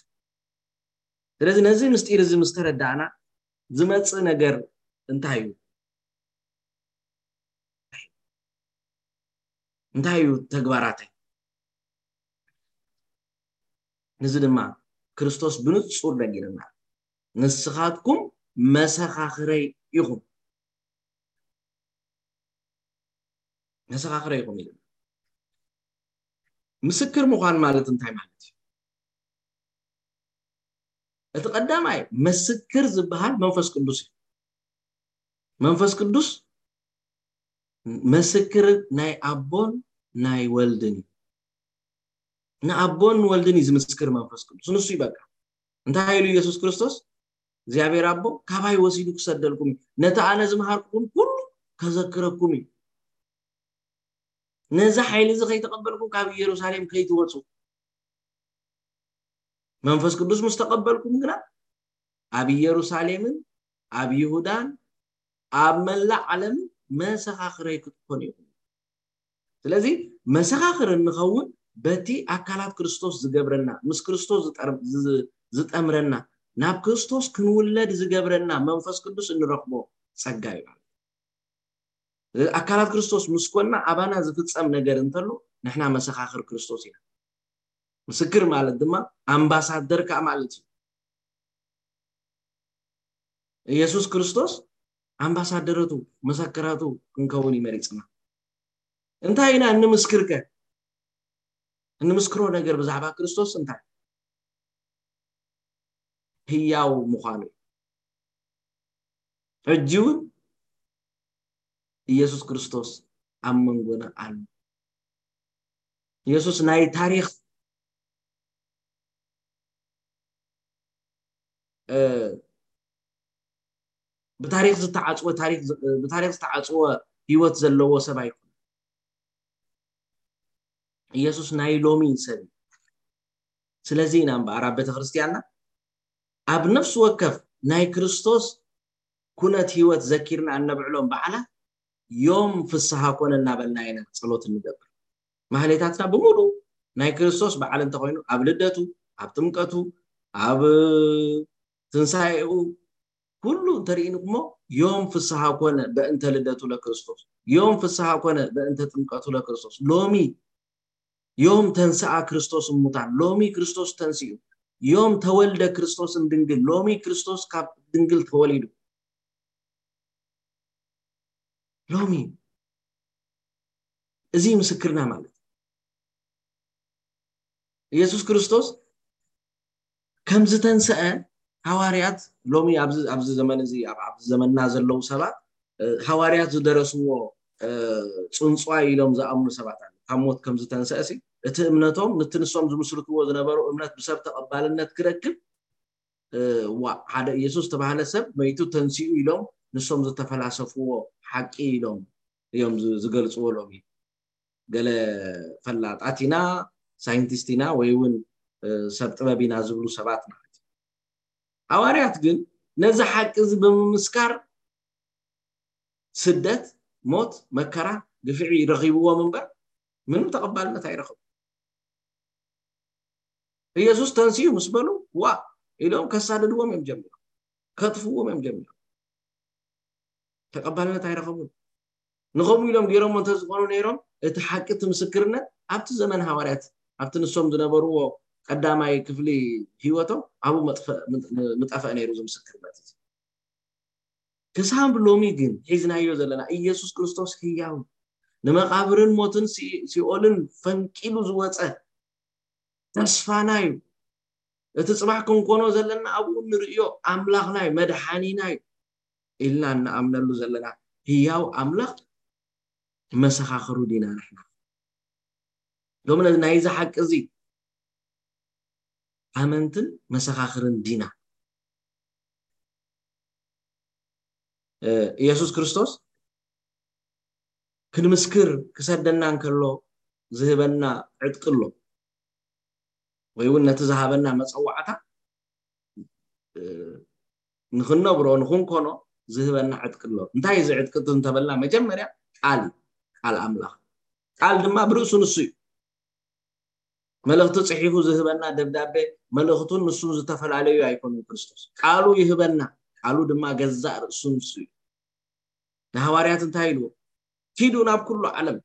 ስለዚ ነዚ ምስጢር እዚ ምስ ተረዳእና ዝመጽእ ነገር እንታይ እዩ? እንታይ እዩ ተግባራተይ? ነዚ ድማ ክርስቶስ ብንጹር ነጊርና፣ "ንስኻትኩም መሰኻኽረይ ኢኹም፣ መሰኻኽረይ ኢኹም" ኢልና። ምስክር ምዃን ማለት እንታይ ማለት እዩ? እቲ ቀዳማይ ምስክር ዝበሃል መንፈስ ቅዱስ እዩ። መንፈስ ቅዱስ ምስክር ናይ ኣቦን ናይ ወልድን እዩ። ንኣቦን ንወልድን እዩ ዝምስክር መንፈስ ቅዱስ። ንሱ እዩ በቃ። እንታይ ኢሉ ኢየሱስ ክርስቶስ? እግዚኣብሔር ኣቦ ካባይ ወሲዱ ክሰደልኩም እዩ። ነቲ ኣነ ዝመሃርኩኹም ኩሉ ከዘክረኩም እዩ። ነዚ ሓይሊ እዚ ከይተቐበልኩም ካብ ኢየሩሳሌም ከይትወጹ። መንፈስ ቅዱስ ምስ ተቐበልኩም ግና ኣብ ኢየሩሳሌምን ኣብ ይሁዳን ኣብ መላእ ዓለምን መሰኻኽረይ ክትኮኑ ኢኹም። ስለዚ መሰኻኽር እንኸውን በቲ ኣካላት ክርስቶስ ዝገብረና፣ ምስ ክርስቶስ ዝጠር-፣ ዝ-፣ ዝጠምረና፣ ናብ ክርስቶስ ክንውለድ ዝገብረና መንፈስ ቅዱስ እንረኽቦ ጸጋ እዩ ማለት እዩ። ኣካላት ክርስቶስ ምስ ኮንና ኣባና ዝፍጸም ነገር እንተሎ ንሕና መሰኻኽር ክርስቶስ ኢና። ምስክር ማለት ድማ ኣምባሳደር ከኣ ማለት እዩ። ኢየሱስ ክርስቶስ ኣምባሳደረቱ፣ መሰከራቱ ክንከውን እዩ መሪጽና። እንታይ ኢና እንምስክር ከ? እንምስክሮ ነገር ብዛዕባ ክርስቶስ እንታይ? ህያው ምዃኑ እዩ። ሕጂ እውን ኢየሱስ ክርስቶስ ኣብ መንጎና ኣሎ። ኢየሱስ ናይ ታሪኽ፣ እ፣ ብታሪኽ ዝተዓጽወ፣ ታሪኽ ዝ-፣ ብታሪኽ ዝተዓጽወ ህይወት ዘለዎ ሰብ ኣይኮነን። ኢየሱስ ናይ ሎሚ ሰብ እዩ። ስለዚ ኢና እምበኣር ኣብ ቤተክርስትያንና ኣብ ነፍሲ ወከፍ ናይ ክርስቶስ ኩነት ህይወት ዘኪርና እነብዕሎም በዓላት ዮም ፍስሃ ኮነ እናበልና ኢና ጸሎት እንገብር። ማህሌታትና ብምሉእ ናይ ክርስቶስ በዓል እንተኾይኑ፣ ኣብ ልደቱ፣ ኣብ ጥምቀቱ፣ ኣብ ትንሳኤኡ፣ ኩሉ እንተርኢንኩሞ፣ ዮም ፍስሃ ኮነ በእንተ ልደቱ ለክርስቶስ፣ ዮም ፍስሃ ኮነ በእንተ ጥምቀቱ ለክርስቶስ። ሎሚ ዮም ተንስኣ ክርስቶስ እሙታን፣ ሎሚ ክርስቶስ ተንሲኡ፣ ዮም ተወልደ ክርስቶስን ድንግል፣ ሎሚ ክርስቶስ ካብ ድንግል ተወሊዱ። ሎሚ እዚ ምስክርና ማለት ኢየሱስ ክርስቶስ ከም ዝተንስአ ሃዋርያት ሎሚ ኣብዚ፣ ኣብዚ ዘመን እዚ፣ ኣብ፣ ኣብዚ ዘመንና ዘለዉ ሰባት፣ እ፣ ሃዋርያት ዝደረስዎ፣ እ፣ ጽንጽዋይ ኢሎም ዝኣምኑ ሰባት ኣለዉ። ካብ ሞት ከም ዝተንስአ ሲ፣ እቲ እምነቶም፣ ነቲ ንሶም ዝምስርትዎ ዝነበሩ እምነት ብሰብ ተቐባልነት ክረክብ፣ እ፣ ዋ፣ ሓደ ኢየሱስ ዝተባህለ ሰብ መይቱ ተንሲኡ ኢሎም ንሶም ዝተፈላሰፍዎ ሓቂ ኢሎም እዮም ዝ-፣ ዝገልጽዎ ሎሚ። ገለ ፈላጣት ኢና፣ ሳይንቲስት ኢና፣ ወይ እውን፣ እ፣ ሰብ ጥበብ ኢና ዝብሉ ሰባት ማለት እዩ። ሃዋርያት ግን ነዚ ሓቂ እዚ ብምምስካር ስደት፣ ሞት፣ መከራ፣ ግፍዒ ረኺብዎም እምበር ምንም ተቐባልነት ኣይረኸቡ። ኢየሱስ ተንሲኡ ምስ በሉ፣ ዋ ኢሎም ከሳድድዎም እዮም ጀሚሮም፣ ከጥፍዎም እዮም ጀሚሮም። ተቐባልነት ኣይረኸቡን። ንኸምኡ ኢሎም ገይሮሞ እንተዝኾኑ ነይሮም፣ እቲ ሓቂ፣ እቲ ምስክርነት ኣብቲ ዘመን ሃዋርያት፣ ኣብቲ ንሶም ዝነበርዎ ቀዳማይ ክፍሊ ህይወቶም ኣብኡ መጥፈ-፣ ምጠፈአ ነይሩ፣ እዚ ምስክርነት እዚ። ክሳብ ሎሚ ግን ሒዝናዮ ዘለና ኢየሱስ ክርስቶስ ህያው፣ ንመቓብርን ሞትን ሲ-፣ ሲኦልን ፈንቂሉ ዝወፀ፣ ተስፋና እዩ። እቲ ጽባሕ ክንኮኖ ዘለና ኣብኡ እንርእዮ ኣምላኽና እዩ፣ መድሓኒና እዩ ኢልና እንኣምነሉ ዘለና ህያው ኣምላኽ መሰኻኽሩ ዲና ንሕና? ሎም ነ-፣ ናይዚ ሓቂ እዚ ኣመንትን መሰኻኽርን ዲና? እ፣ ኢየሱስ ክርስቶስ ክንምስክር ክሰደና እንከሎ ዝህበና ዕጥቂ ኣሎ፣ ወይ እውን ነቲ ዝሃበና መጸዋዕታ፣ እ፣ ንኽንነብሮ፣ ንኽንኮኖ ዝህበና ዕጥቂ ኣሎ። እንታይ እዚ ዕጥቂ እቲ እንተበልና፣ መጀመርያ ቃል እዩ፣ ቃል ኣምላኽ። ቃል ድማ ብርእሱ ንሱ እዩ። መልእኽቲ ጽሒፉ ዝህበና ደብዳቤ፣ መልእኽቱን ንሱን ዝተፈላለዩ ኣይኮኑን። ክርስቶስ ቃሉ ይህበና፣ ቃሉ ድማ ገዛእ ርእሱ ንሱ እዩ። ንሃዋርያት እንታይ ኢልዎ? "ኪዱ ናብ ኩሉ ዓለም፣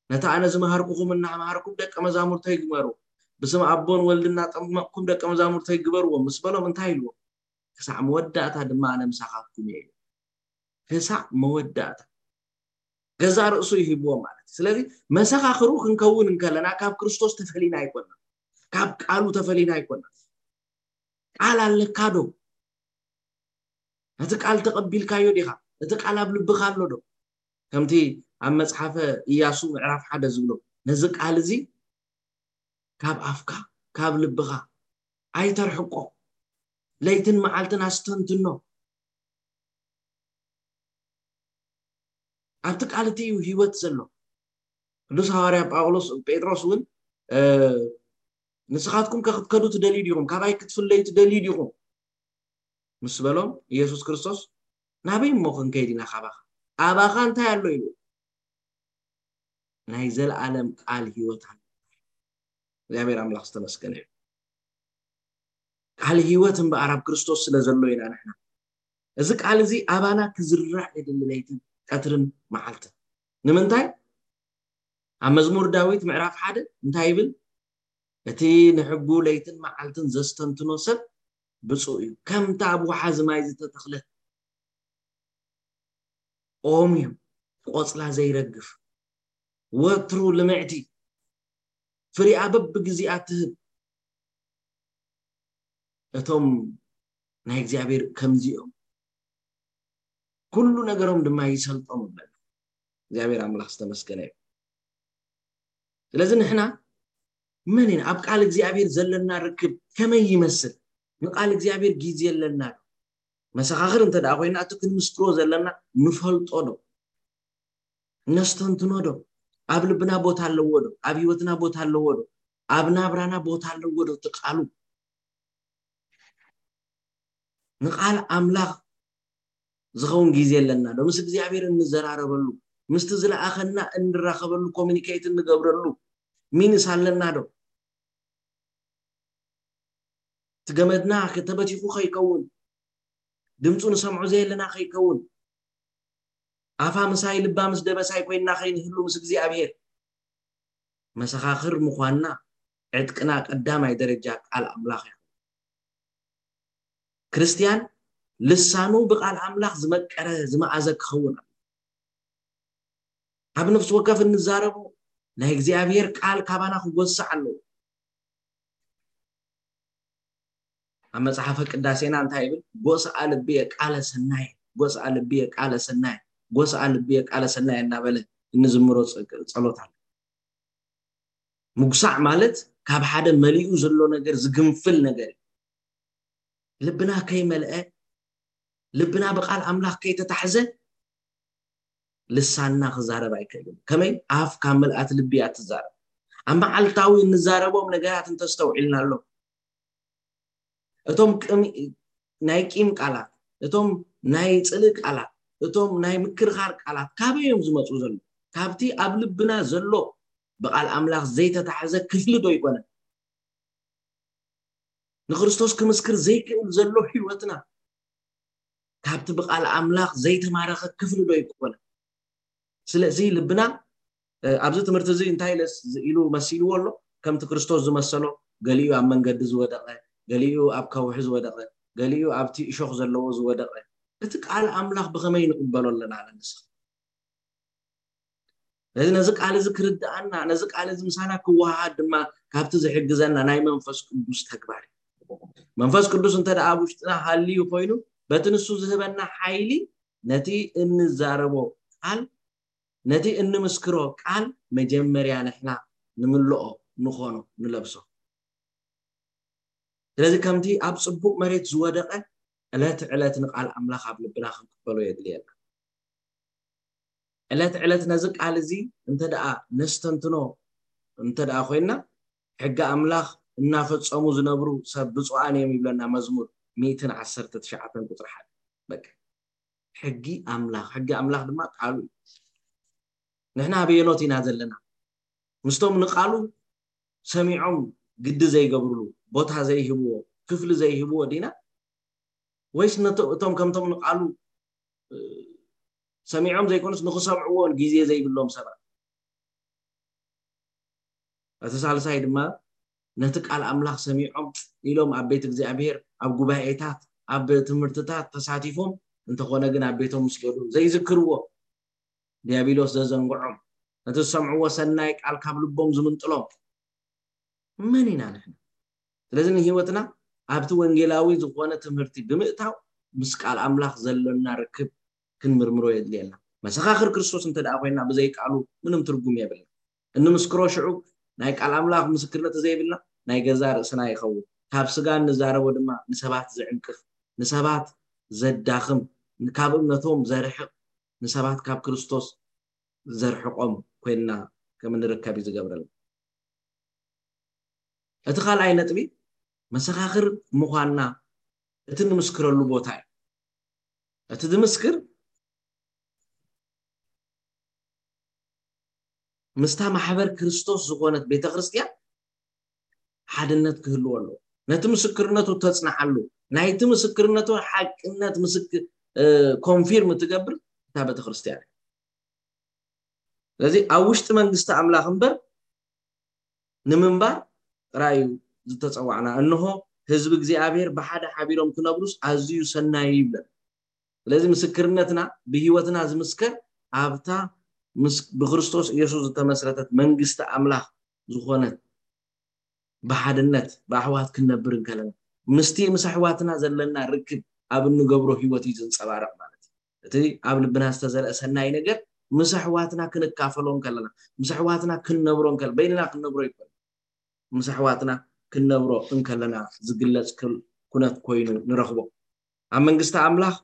ነቲ ኣነ ዝመሃርኩኹም እናመሃርኩም ደቀ መዛሙርተይ ግበሩ፣ ብስም ኣቦን ወልድን እናጠመቕኩም ደቀ መዛሙርተይ ግበርዎም" ምስ በሎም እንታይ ኢልዎ? "ክሳዕ መወዳእታ ድማ ኣነ ምሳኻትኩም እየ" ኢሉ። ክሳዕ መወዳእታ። ገዛእ ርእሱ ይህብዎ ማለት እዩ። ስለዚ መሰኻኽሩ ክንከውን እንከለና ካብ ክርስቶስ ተፈሊና ኣይኮንና፣ ካብ ቃሉ ተፈሊና ኣይኮንና። ቃል ኣለካ ዶ? ነቲ ቃል ተቐቢልካዮ ዲኻ? እቲ ቃል ኣብ ልብኻ ኣሎ ዶ? ከምቲ ኣብ መጽሓፈ ኢያሱ ምዕራፍ ሓደ ዝብሎ፣ ነዚ ቃል እዚ ካብ ኣፍካ፣ ካብ ልብኻ ኣይተርሕቆ። ለይትን መዓልትን ኣስተንትኖ። ኣብቲ ቃል እቲ እዩ ህይወት ዘሎ። ቅዱስ ሃዋርያ ጳውሎስ፣ ጴጥሮስ እውን፣ እ፣ "ንስኻትኩም ከ ክትከዱ ትደልዩ ዲኹም? ካባይ ክትፍለዩ ትደልዩ ዲኹም?" ምስ በሎም፣ ኢየሱስ ክርስቶስ፣ "ናበይ እሞ ክንከይድ ኢና ካባኻ? ኣባኻ እንታይ ኣሎ?" ኢሉ። ናይ ዘለኣለም ቃል ህይወት ኣሎ። እግዚኣብሔር ኣምላኽ ዝተመስገነ እዩ። ቃል ህይወት እምበኣር ኣብ ክርስቶስ ስለ ዘሎ ኢና ንሕና። እዚ ቃል እዚ ኣባና ክዝራዕ የድሊ፣ ለይትን ቀትርን መዓልትን። ንምንታይ? ኣብ መዝሙር ዳዊት ምዕራፍ ሓደ እንታይ ይብል? "እቲ ንሕጉ ለይትን መዓልትን ዘስተንትኖ ሰብ ብፁዕ እዩ። ከምታ ኣብ ወሓዚ ማይ ዝተተኽለት ኦም እዩ፣ ቆጽላ ዘይረግፍ፣ ወትሩ ልምዕቲ፣ ፍሪኣ በብግዜኣ ትህብ። እቶም ናይ እግዚኣብሔር ከምዚኦም፣ ኩሉ ነገሮም ድማ ይሰልጦም" ይብለና። እግዚኣብሔር ኣምላኽ ዝተመስገነ እዩ። ስለዚ ንሕና መን ኢና? ኣብ ቃል እግዚኣብሔር ዘለና ርክብ ከመይ ይመስል? ንቃል እግዚኣብሔር ግዜ ኣለና ዶ? መሰኻኽር እንተ ደኣ ኮይና፣ እቲ ክንምስክሮ ዘለና ንፈልጦ ዶ? ነስተንትኖ ዶ? ኣብ ልብና ቦታ ኣለዎ ዶ? ኣብ ህይወትና ቦታ ኣለዎ ዶ? ኣብ ናብራና ቦታ ኣለዎ ዶ? እቲ ቃሉ፣ ንቃል ኣምላኽ ዝኸውን ግዜ ኣለና ዶ? ምስ እግዚኣብሔር እንዘራረበሉ፣ ምስቲ ዝለኣኸና እንራኸበሉ፣ ኮሚኒኬት እንገብረሉ ሚንስ ኣለና ዶ? እቲ ገመድና ተበቲኹ ከይከውን፣ ድምፁ ንሰምዖ ዘየለና ከይከውን፣ ኣፋ ምሳይ ልባ ምስ ደበሳይ ኮይንና ከይንህሉ ምስ እግዚኣብሔር፣ መሰኻኽር ምዃንና ዕጥቅና ቀዳማይ ደረጃ ቃል ኣምላኽ እዩ። ክርስትያን ልሳኑ ብቃል ኣምላኽ ዝመቀረ ዝመኣዘ ክኸውን ኣለዎ። ኣብ ነፍሲ ወከፍ እንዛረቦ ናይ እግዚኣብሔር ቃል ካባና ክጎስዕ ኣለዎ። ኣብ መጽሓፈ ቅዳሴና እንታይ ይብል? "ጎስኣ ልብየ ቃለ ሰናየ፣ ጎስኣ ልብየ ቃለ ሰናየ፣ ጎስኣ ልብየ ቃለ ሰናየ" እናበለ እንዝምሮ ጸ-፣ ጸሎት ኣሎ። ምጉሳዕ ማለት ካብ ሓደ መሊኡ ዘሎ ነገር ዝግንፍል ነገር እዩ። ልብና ከይመልአ፣ ልብና ብቃል ኣምላኽ ከይተታሕዘ፣ ልሳንና ክዛረብ ኣይክእልን። ከመይ? ኣፍ ካብ ምልኣት ልቢ እያ ትዛረብ። ኣብ መዓልታዊ እንዛረቦም ነገራት እንተስተውዒልና ኣሎ፣ እቶም ቅም-፣ ናይ ቂም ቃላት፣ እቶም ናይ ጽልእ ቃላት፣ እቶም ናይ ምክርኻር ቃላት ካበይ እዮም ዝመጹ ዘለዉ? ካብቲ ኣብ ልብና ዘሎ ብቃል ኣምላኽ ዘይተታሕዘ ክፍሊ ዶ ኣይኮነን? ንክርስቶስ ክምስክር ዘይክእል ዘሎ ህይወትና ካብቲ ብቃል ኣምላኽ ዘይተማረኸ ክፍሊ ዶ ኣይኮነን? ስለዚ ልብና ኣብዚ ትምህርቲ እዚ እንታይ ኢሉ መሲልዎ ኣሎ? ከምቲ ክርስቶስ ዝመሰሎ፣ ገሊኡ ኣብ መንገዲ ዝወደቐ፣ ገሊኡ ኣብ ከውሒ ዝወደቐ፣ ገሊኡ ኣብቲ እሾኽ ዘለዎ ዝወደቐ፣ እቲ ቃል ኣምላኽ ብኸመይ ንቕበሎ ኣለና ንስኻ? ስለዚ ነዚ ቃል እዚ ክርድኣና፣ ነዚ ቃል እዚ ምሳና ክወሃሃድ ድማ ካብቲ ዝሕግዘና ናይ መንፈስ ቅዱስ ተግባር እዩ። መንፈስ ቅዱስ እንተ ደኣ ኣብ ውሽጥና ሃልዩ ኮይኑ፣ በቲ ንሱ ዝህበና ሓይሊ ነቲ እንዛረቦ ቃል፣ ነቲ እንምስክሮ ቃል መጀመርያ ንሕና ንምልኦ፣ ንኾኖ፣ ንለብሶ። ስለዚ ከምቲ ኣብ ጽቡቕ መሬት ዝወደቐ ዕለት ዕለት ንቃል ኣምላኽ ኣብ ልብና ክንቅበሎ የድልየና። ዕለት ዕለት ነዚ ቃል እዚ እንተ ደኣ ነስተንትኖ እንተ ደኣ ኮይንና፣ ሕጊ ኣምላኽ እናፈጸሙ ዝነብሩ ሰብ ብፁዓን እዮም ይብለና መዝሙር ሚእትን ዓሰርተ ትሽዓተን ቁጽሪ ሓደ። በቃ ሕጊ ኣምላኽ፣ ሕጊ ኣምላኽ ድማ ቃሉ እዩ። ንሕና ኣበየኖት ኢና ዘለና? ምስቶም ንቃሉ ሰሚዖም ግዲ ዘይገብርሉ፣ ቦታ ዘይህብዎ፣ ክፍሊ ዘይህብዎ ዲና? ወይስ ነቶ-፣ እቶም ከምቶም ንቃሉ፣ እ፣ ሰሚዖም ዘይኮኑስ ንኽሰምዕዎ ግዜ ዘይብሎም ሰባት? እቲ ሳልሳይ ድማ ነቲ ቃል ኣምላኽ ሰሚዖም ኢሎም ኣብ ቤት እግዚኣብሔር፣ ኣብ ጉባኤታት፣ ኣብ ትምህርትታት ተሳቲፎም፣ እንተኾነ ግን ኣብ ቤቶም ምስ ከዱ ዘይዝክርዎ፣ ዲያብሎስ ዘዘንግዖም፣ ነቲ ዝሰምዕዎ ሰናይ ቃል ካብ ልቦም ዝምንጥሎም መን ኢና ንሕና? ስለዚ ንህይወትና ኣብቲ ወንጌላዊ ዝኾነ ትምህርቲ ብምእታው ምስ ቃል ኣምላኽ ዘሎና ርክብ ክንምርምሮ የድልየና። መሰኻኽር ክርስቶስ እንተ ደኣ ኮይንና ብዘይ ቃሉ ምንም ትርጉም የብልና። እንምስክሮ ሽዑ ናይ ቃል ኣምላኽ ምስክርነት ዘይብልና ናይ ገዛ ርእስና ይኸውን። ካብ ስጋ እንዛረቦ ድማ ንሰባት ዝዕንቅፍ፣ ንሰባት ዘዳኽም፣ ካብ እምነቶም ዘርሕቕ፣ ንሰባት ካብ ክርስቶስ ዘርሕቖም ኮይንና ከም እንርከብ እዩ ዝገብረልና። እቲ ካልኣይ ነጥቢ መሰኻኽር ምዃንና እቲ ንምስክረሉ ቦታ እዩ። እቲ ዝምስክር ምስታ ማሕበር ክርስቶስ ዝኾነት ቤተ ክርስቲያን ሓድነት ክህልዎ ኣለዎ። ነቲ ምስክርነቱ ተጽንዓሉ፣ ናይቲ ምስክርነቱ ሓቅነት ምስክ-፣ እ፣ ኮንፊርም ትገብር እታ ቤተ ክርስቲያን እያ። ስለዚ ኣብ ውሽጢ መንግስቲ ኣምላኽ እምበር ንምንባር ጥራይ እዩ ዝተጸዋዕና። እንሆ ህዝቢ እግዚኣብሔር ብሓደ ሓቢሮም ክነብሩስ ኣዝዩ ሰናይ እዩ ይብለን። ስለዚ ምስክርነትና ብህይወትና ዝምስከር ኣብታ ምስ-፣ ብክርስቶስ ኢየሱስ ዝተመስረተት መንግስቲ ኣምላኽ ዝኾነት ብሓድነት ብኣሕዋት ክንነብር እንከለና፣ ምስቲ ምስ ኣሕዋትና ዘለና ርክብ ኣብ እንገብሮ ህይወት እዩ ዝንጸባረቕ ማለት እዩ። እቲ ኣብ ልብና ዝተዘርአ ሰናይ ነገር ምስ ኣሕዋትና ክንካፈሎ እንከለና፣ ምስ ኣሕዋትና ክንነብሮ እንከለና፣ በይንና ክንነብሮ ይኮን፣ ምስ ኣሕዋትና ክንነብሮ እንከለና ዝግለጽ ክል-፣ ኩነት ኮይኑ ንረኽቦ። ኣብ መንግስቲ ኣምላኽ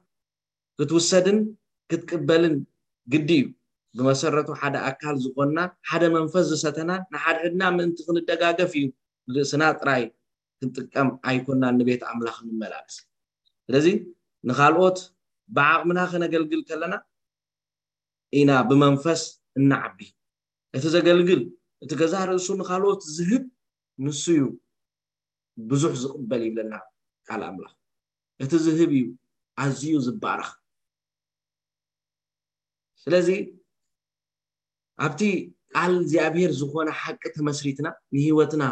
ክትውሰድን ክትቅበልን ግዲ እዩ። ብመሰረቱ ሓደ ኣካል ዝኾንና፣ ሓደ መንፈስ ዝሰተና፣ ንሓድሕድና ምእንቲ ክንደጋገፍ እዩ። ንርእስና ጥራይ ክንጥቀም ኣይኮናን ንቤት ኣምላኽ ንመላለስ። ስለዚ ንኻልኦት ብዓቕምና ከነገልግል ከለና ኢና ብመንፈስ እናዓቢ። እቲ ዘገልግል፣ እቲ ገዛ ርእሱ ንኻልኦት ዝህብ ንሱ እዩ ብዙሕ ዝቕበል ይብለና ቃል ኣምላኽ። እቲ ዝህብ እዩ ኣዝዩ ዝባረኽ። ስለዚ ኣብቲ ቃል እግዚኣብሔር ዝኾነ ሓቂ ተመስሪትና ንህይወትና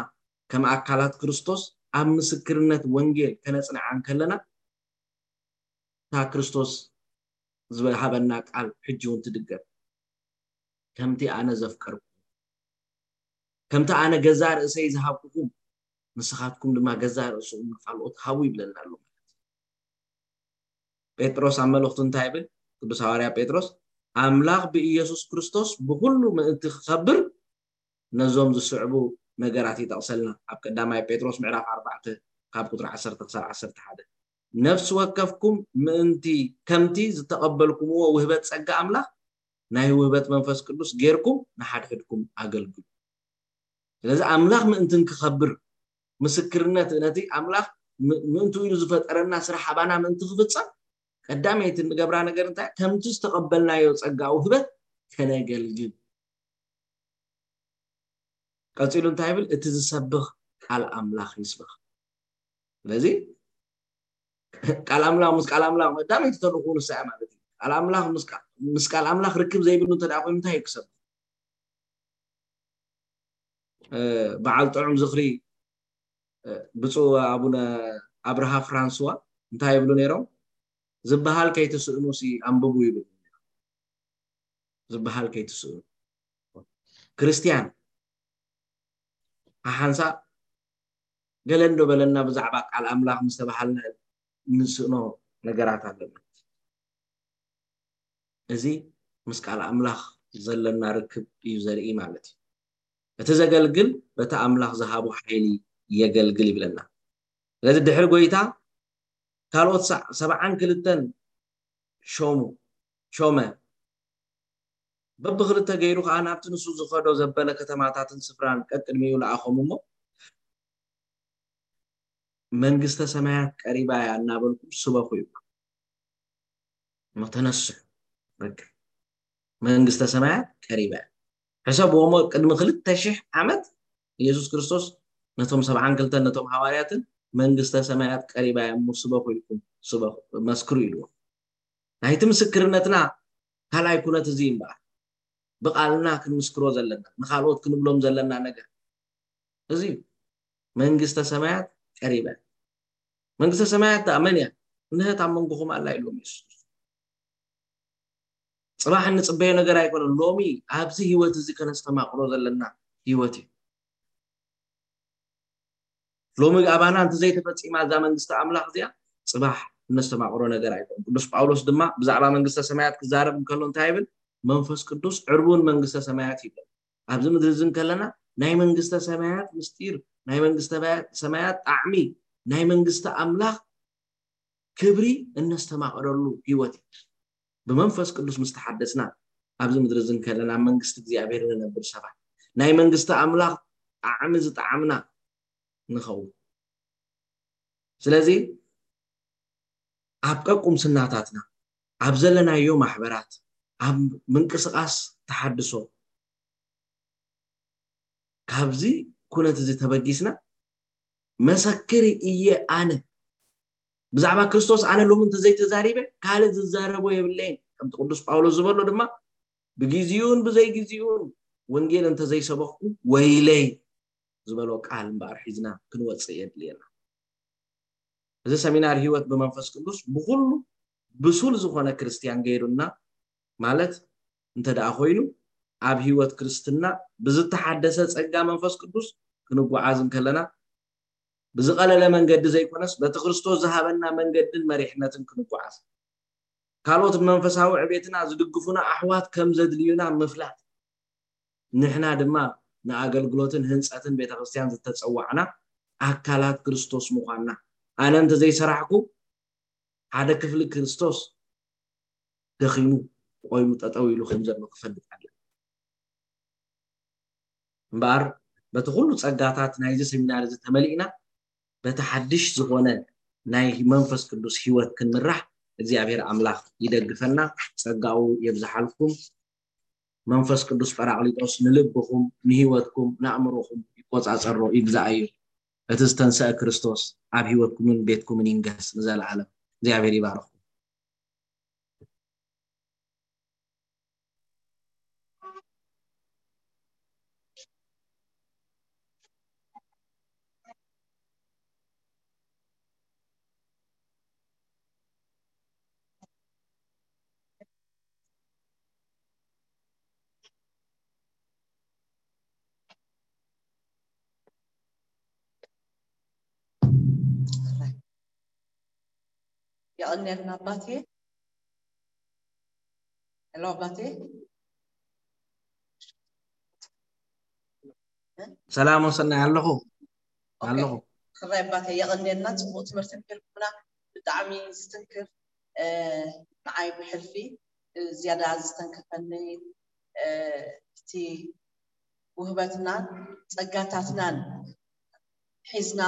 ከም ኣካላት ክርስቶስ ኣብ ምስክርነት ወንጌል ከነጽንዓ እንከለና እታ ክርስቶስ ዝሃበና ቃል ሕጂ እውን ትድገም። ከምቲ ኣነ ዘፍቀርኩ፣ ከምቲ ኣነ ገዛ ርእሰይ ዝሃብኩኹም፣ ንስኻትኩም ድማ ገዛ ርእስኹም ንኻልኦት ሃቡ ይብለና ኣሎ ማለት እዩ። ጴጥሮስ ኣብ መልእኽቱ እንታይ ይብል? ቅዱስ ሃዋርያ ጴጥሮስ፣ ኣምላኽ ብኢየሱስ ክርስቶስ ብኹሉ ምእንቲ ክኸብር ነዞም ዝስዕቡ ነገራት ይጠቕሰልና። ኣብ ቀዳማይ ጴጥሮስ ምዕራፍ ኣርባዕተ ካብ ቁጽሪ ዓሰርተ ክሳብ ዓሰርተ ሓደ፣ ነፍሲ ወከፍኩም ምእንቲ ከምቲ ዝተቐበልኩምዎ ውህበት ጸጋ ኣምላኽ ናይ ውህበት መንፈስ ቅዱስ ጌርኩም ንሓድሕድኩም ኣገልግሉ። ስለዚ ኣምላኽ ምእንቲ ክኸብር፣ ምስክርነት ነቲ ኣምላኽ ም-፣ ምእንቱ ኢሉ ዝፈጠረና ስራሕ ኣባና ምእንቲ ክፍጸም፣ ቀዳመይቲ እንገብራ ነገር እንታይ? ከምቲ ዝተቐበልናዮ ጸጋ ውህበት ከነገልግል። ቀጺሉ እንታይ ይብል? እቲ ዝሰብኽ ቃል ኣምላኽ ይስበኽ። ስለዚ ቃል ኣምላኽ ምስ ቃል ኣምላኽ ቀዳመይቲ ተልእኾኡ ንሳ እያ ማለት እዩ። ቃል ኣምላኽ ምስ ቃል፣ ምስ ቃል ኣምላኽ ርክብ ዘይብሉ እንተ ደኣ ኮይኑ እንታይ ይክሰብ? በዓል ጥዑም ዝኽሪ ብፁዕ ኣቡነ ኣብርሃ ፍራንስዋ እንታይ ይብሉ ነይሮም? ዝበሃል ከይትስእኑ ሲ ኣንብቡ ይብሉ። ዝበሃል ከይትስእኑ። ክርስቲያን ሓሓንሳ ገለ እንዶ በለና ብዛዕባ ቃል ኣምላኽ ምስ ተባሃልና ንስእኖ ነገራት ኣለና። እዚ ምስ ቃል ኣምላኽ ዘለና ርክብ እዩ ዘርኢ ማለት እዩ። እቲ ዘገልግል በቲ ኣምላኽ ዝሃቦ ሓይሊ የገልግል ይብለና። ስለዚ ድሕሪ ጎይታ ካልኦት ሰ- ሰብዓን ክልተን ሾሙ ሾመ። በብክልተ ገይሩ ከዓ ናብቲ ንሱ ዝኸዶ ዘበለ ከተማታትን ስፍራን ቀቅድሚኡ ለኣኾም እሞ መንግስተ ሰማያት ቀሪባ እያ እናበልኩም ስበኹ እዩ። እሞ ተነስሑ። በቃ መንግስተ ሰማያት ቀሪባ እያ። ሕሰብዎ እሞ ቅድሚ ክልተ ሺሕ ዓመት ኢየሱስ ክርስቶስ ነቶም ሰብዓን ክልተን ነቶም ሃዋርያትን መንግስተ ሰማያት ቀሪባ እያ እሞ ስበኹ ኢልኩም ስበኹ መስክሩ ኢልዎ። ናይቲ ምስክርነትና ካልኣይ ኩነት እዚ እምበኣር ብቃልና ክንምስክሮ ዘለና ንካልኦት ክንብሎም ዘለና ነገር እዚ እዩ። መንግስተ ሰማያት ቀሪባ እያ። መንግስተ ሰማያት ደኣ መን እያ? እንሀት ኣብ መንጎኹም ኣላ ኢልዎም የሱስ። ጽባሕ እንጽበዮ ነገር ኣይኮነን። ሎሚ ኣብዚ ህይወት እዚ ከነስተማቕሮ ዘለና ህይወት እዩ። ሎሚ ኣባና እንተዘይተፈጺማ እዛ መንግስቲ ኣምላኽ እዚኣ ጽባሕ እነስተማቕሮ ነገር ኣይኮነን። ቅዱስ ጳውሎስ ድማ ብዛዕባ መንግስተ ሰማያት ክዛረብ እንከሎ እንታይ ይብል? መንፈስ ቅዱስ ዕርቡን መንግስተ ሰማያት ይብል። ኣብዚ ምድሪ እዚ እንከለና ናይ መንግስተ ሰማያት ምስጢር፣ ናይ መንግስተ ሰማያት ጣዕሚ፣ ናይ መንግስቲ ኣምላኽ ክብሪ እነስተማቕረሉ ህይወት እዩ። ብመንፈስ ቅዱስ ምስ ተሓደስና ኣብዚ ምድሪ እዚ እንከለና ኣብ መንግስቲ እግዚኣብሔር ንነብር ሰባት ናይ መንግስቲ ኣምላኽ ጣዕሚ ዝጣዕምና ንኸውን። ስለዚ ኣብ ቀቁምስናታትና ኣብ ዘለናዮ ማሕበራት ኣብ ምንቅስቃስ ተሓድሶ ካብዚ ኩነት እዚ ተበጊስና መሰክር እየ ኣነ ብዛዕባ ክርስቶስ ኣነ ሎሚ እንተዘይተዛሪበ ካልእ ዝዛረቦ የብለይን ከምቲ ቅዱስ ጳውሎስ ዝበሎ ድማ ብግዜኡን ብዘይግዜኡን ወንጌል እንተዘይሰበኽኩ ወይለይ ዝበሎ ቃል እምበኣር ሒዝና ክንወፅእ የድልየና። እዚ ሰሚናር ህይወት ብመንፈስ ቅዱስ ብኩሉ ብሱል ዝኾነ ክርስትያን ገይሩና ማለት እንተ ደኣ ኮይኑ ኣብ ህይወት ክርስትና ብዝተሓደሰ ጸጋ መንፈስ ቅዱስ ክንጓዓዝ እንከለና ብዝቐለለ መንገዲ ዘይኮነስ በቲ ክርስቶስ ዝሃበና መንገድን መሪሕነትን ክንጓዓዝ ካልኦት ብመንፈሳዊ ዕቤትና ዝድግፉና ኣሕዋት ከም ዘድልዩና ምፍላጥ ንሕና ድማ ንኣገልግሎትን ህንጸትን ቤተክርስትያን ዝተጸዋዕና ኣካላት ክርስቶስ ምዃንና ኣነ እንተዘይሰራሕኩ ሓደ ክፍሊ ክርስቶስ ደኺሙ ቆይሙ ጠጠው ኢሉ ከም ዘሎ ክፈልጥ ኣለ እምበኣር በቲ ኩሉ ጸጋታት ናይዚ ሰሚናር እዚ ተመሊእና በቲ ሓድሽ ዝኾነ ናይ መንፈስ ቅዱስ ህይወት ክንምራሕ እግዚኣብሔር ኣምላኽ ይደግፈና ጸጋኡ የብዝሓልኩም መንፈስ ቅዱስ ጳራቅሊጦስ ንልብኹም ንህይወትኩም ንኣእምሮኹም ይቆጻጸሮ ይግዛኣዩ እቲ ዝተንሰአ ክርስቶስ ኣብ ህይወትኩምን ቤትኩምን ይንገስ ንዘለዓለም እግዚኣብሔር ይባርኹም የቐንየልና ኣባቴ ሄሎ ኣባቴ ሰላም ወሰናይ ኣለኹ ኣለኹ ክራይ ኣባቴ የቐንየልና ፅቡቅ ትምህርቲ ምሂርኩምና ብጣዕሚ ዝትንክፍ ንዓይ ብሕልፊ ዝያዳ ዝተንከፈኒ እቲ ውህበትናን ጸጋታትናን ሒዝና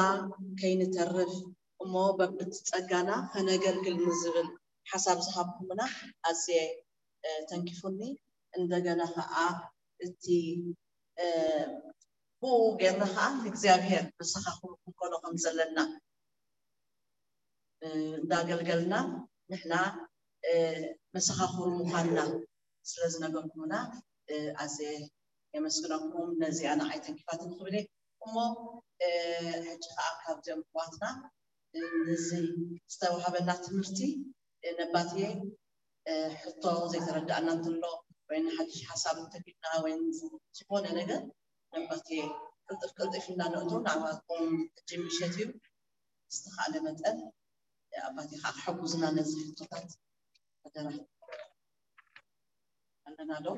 ከይንተርፍ እሞ በብቲ ጸጋና ከነገልግል ንዝብል ሓሳብ ዝሃብኩምና ኣዝየ ተንኪፉኒ። እንደገና ኸዓ እቲ ብኡ ጌርና ኸዓ ንእግዚኣብሔር ንስኻ ክንክንከኖ ከም ዘለና እንዳገልገልና ንሕና መሰኻኽሩ ምዃንና ስለ ዝነገርኩምና ኣዝየ የመስግነኩም። ነዚኣ ንዓይ ተንኪፋትኒ ክብል እየ። እሞ ሕጂ ከዓ ካብዚኦም ኣሕዋትና ነዚ ዝተዋሃበና ትምህርቲ ነባትየ ሕቶ ዘይተረዳእና እንተሎ ወይ ሓድሽ ሓሳብ እንተኪድና ወይ ዝኾነ ነገር ነባትየ ቅልጥፍ ቅልጥፍ እንዳነእቶ ናባኩም ሕጂ ምሸት እዩ። ዝተኻእለ መጠን ኣባቴ ከዓ ክሕጉዝና ነዚ ሕቶታት ኣደራ ኣለና ዶ?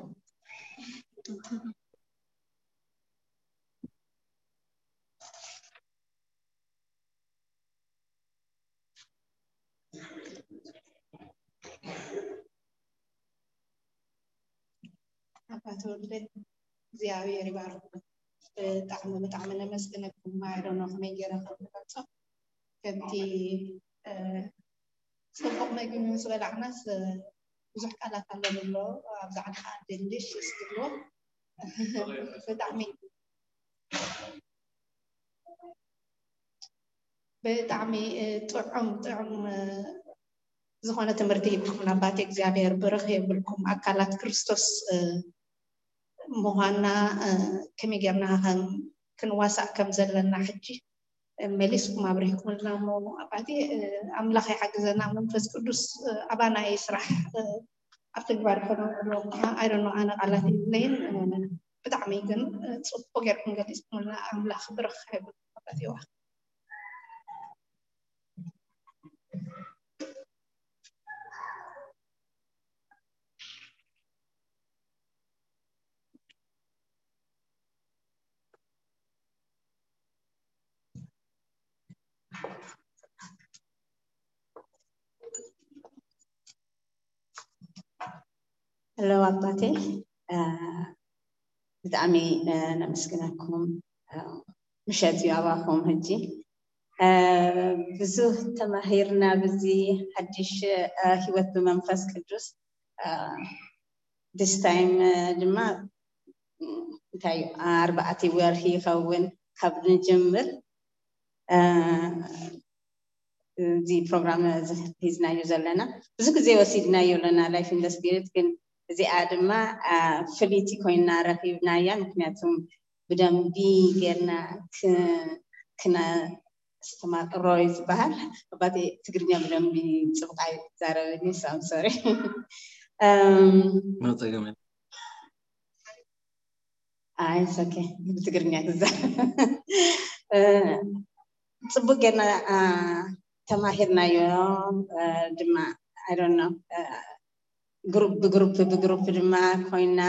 ኣባ ተወልደ እግዚኣብሔር ይባርኩም። ብጣዕሚ ብጣዕሚ ነመስግነኩም። ማይዶ ነው ከመይ ገይረ ከም ዝገልጾ ከምቲ ጽቡቕ መግቢ ምስ በላዕናስ ብዙሕ ቃላት ኣሎ ዝብሎ ኣብዛ ዓዲ ከዓ ደሊሽስ ዝብሎ ብጣዕሚ ብጣዕሚ ጥዑም ጥዑም ዝኾነ ትምህርቲ ሂብኩም ኣባቴ እግዚኣብሔር ብርኽ የብልኩም ኣካላት ክርስቶስ ምዃንና ከመይ ጌርና ክንዋሳእ ከም ዘለና ሕጂ መሊስኩም ኣብሪህኩምልና እሞ ኣባቴ ኣምላኽ ይሓግዘና መንፈስ ቅዱስ ኣባና ይስራሕ ኣብ ተግባር ከነውዕሎ ኣይደኖ ኣነ ቃላት የብለይን ብጣዕሚ ግን ፅቡቅ ጌርኩም ገሊፅኩምልና ኣምላኽ ብርኽ ይብልኩም ኣባቴዋ ሄሎ ኣባቴ ብጣዕሚ ነመስግነኩም። ምሸት እዩ ኣባኹም ሕጂ። ብዙህ ተማሂርና ብዚ ሓድሽ ህይወት ብመንፈስ ቅዱስ። This time ድማ እንታይ ኣርባዕቲ ወርሒ ይኸውን ካብ ንጅምር እዚ ፕሮግራም ሒዝናዮ ዘለና ብዙ ግዜ ወሲድናዮ ኣለና life in the spirit ግን እዚኣ ድማ ፍልይቲ ኮይና ረኺብናያ ምክንያቱም ብደንቢ ጌርና ክነ ስተማቅሮ እዩ ዝበሃል ኣባቴ ትግርኛ ብደንቢ ፅብቅ ኣይዛረብን እዩ I'm sorry No, it's okay, man. ኣይ ኦኬ ብትግርኛ ክዛረብ ፅቡቅ ጌርና ተማሂርናዮ ድማ I don't know ግሩፕ ብግሩፕ ብግሩፕ ድማ ኮይና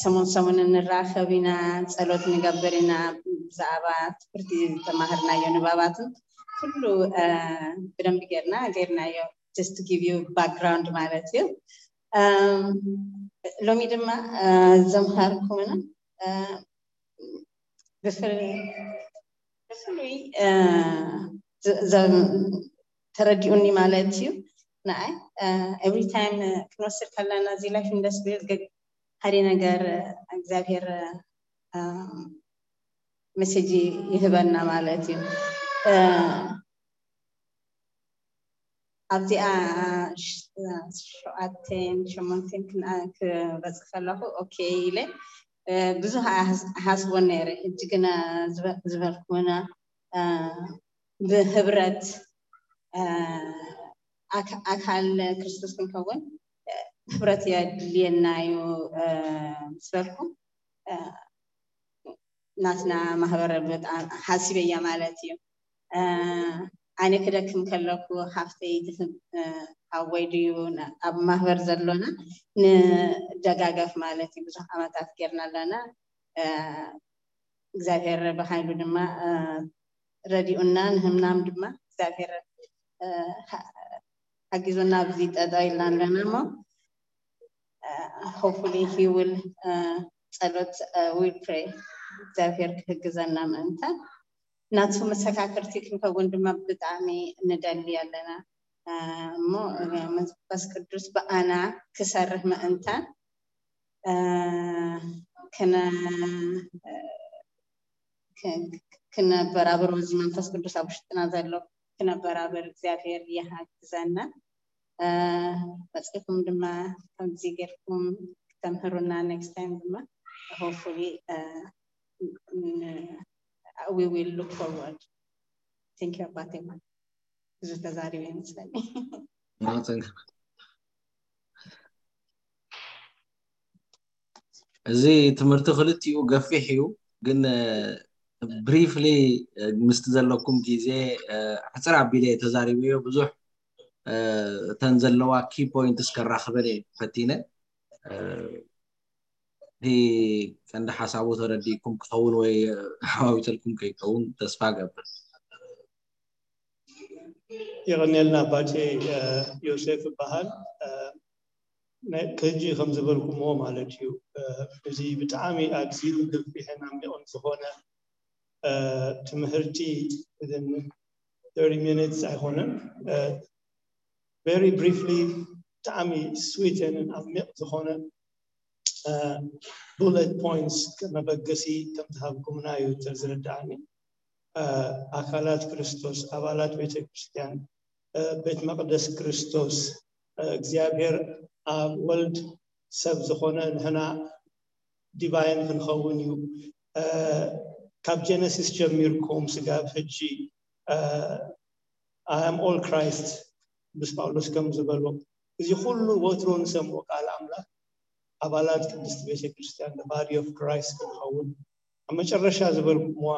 ሰሙን ሰሙን እንራኸብ ኢና ፀሎት ንገብር ኢና ብዛዕባ ትምህርቲ ዝተማሃርናዮ ንባባትን ኩሉ ብደንቢ ጌርና ጌርናዮ just to give you background ማለት እዩ ሎሚ ድማ ዘምሃርኩምና ብፍሉይ ተረዲኡኒ ማለት እዩ ንኣይ every time ክንወስድ ከለና እዚ life in the spirit ሓደ ነገር እግዚኣብሔር message ይህበና ማለት እዩ ኣብዚኣ ሸውዓተን ሸሞንተን ክበፅእ ከለኹ okay ኢለ ብዙሕ ኣይሓስቦን ነይረ ሕጂ ግና ዝበልኩና ብህብረት ኣካል ክርስቶስ ክንከውን ህብረት የድልየና እዩ ምስ በልኩ ናትና ማህበር በጣም ሓሲበያ ማለት እዩ ኣነ ክደክም ከለኩ ሃፍተይ ትህብ ሃወይ ድዩ ኣብ ማህበር ዘሎና ንደጋገፍ ማለት እዩ ብዙሕ ዓመታት ጌርና ኣለና እግዚኣብሔር ብሓይሉ ድማ ረዲኡና ንህምናም ድማ እግዚኣብሔር ሓጊዙና ኣብዚ ጠጠው ኢልና ኣለና እሞ hopefully he will ጸሎት will pray እግዚኣብሔር ክህግዘና ምእንታን ናቱ መሰካክርቲ ክንከውን ድማ ብጣዕሚ ንደሊ ኣለና እሞ መንፈስ ቅዱስ ብኣና ክሰርህ ምእንታን ክነበራብሮ እዚ መንፈስ ቅዱስ ኣብ ውሽጥና ዘሎ ክነበራብር እግዚኣብሔር ይሓግዘና። መፅእኩም ድማ ከምዚ ጌርኩም ክተምህሩና next time ድማ hopefully we will look forward. Thank you ኣባቴማ። ብዙ ተዛሪበ ይመስለኒ። እዚ ትምህርቲ ክልቲኡ ገፊሕ እዩ፣ ግን briefly ምስቲ ዘለኩም ግዜ ሕፅር ኣቢለ ተዛሪበዮ። ብዙሕ እተን ዘለዋ key points ከራኽበን እየ ፈቲነ። እቲ ቀንዲ ሓሳቡ ተረዲእኩም ክኸውን ወይ ሓዋዊተልኩም ከይከውን ተስፋ ገብር። የቐንየልና ኣባቴ። ዮሴፍ እበሃል። ሕጂ ከም ዝበልኩምዎ ማለት እዩ፣ እዚ ብጣዕሚ ኣዝዩ ገፊሕን ዓሚቕን ዝኾነ ትምህርቲ thirty minutes ኣይኮነን። Very briefly ብጣዕሚ sweet and ዓሚቕ ዝኾነ bullet points ከመበገሲ ከም ዝሃብኩምና እዩ ዝርድኣኒ። ኣካላት ክርስቶስ፣ ኣባላት ቤተ ክርስቲያን፣ ቤት መቕደስ ክርስቶስ፣ እግዚኣብሔር ኣብ ወልድ ሰብ ዝኾነ ንሕና divine ክንኸውን እዩ። ካብ ጀነሲስ ጀሚርኩም ስጋብ ሕጂ I am all Christ ምስ ጳውሎስ ከም ዝበሎ፣ እዚ ኩሉ ወትሮ ንሰምዖ ቃል ኣምላኽ ኣባላት ቅድስቲ ቤተ ክርስቲያን body of Christ ክንኸውን፣ ኣብ መጨረሻ ዝበልኩምዋ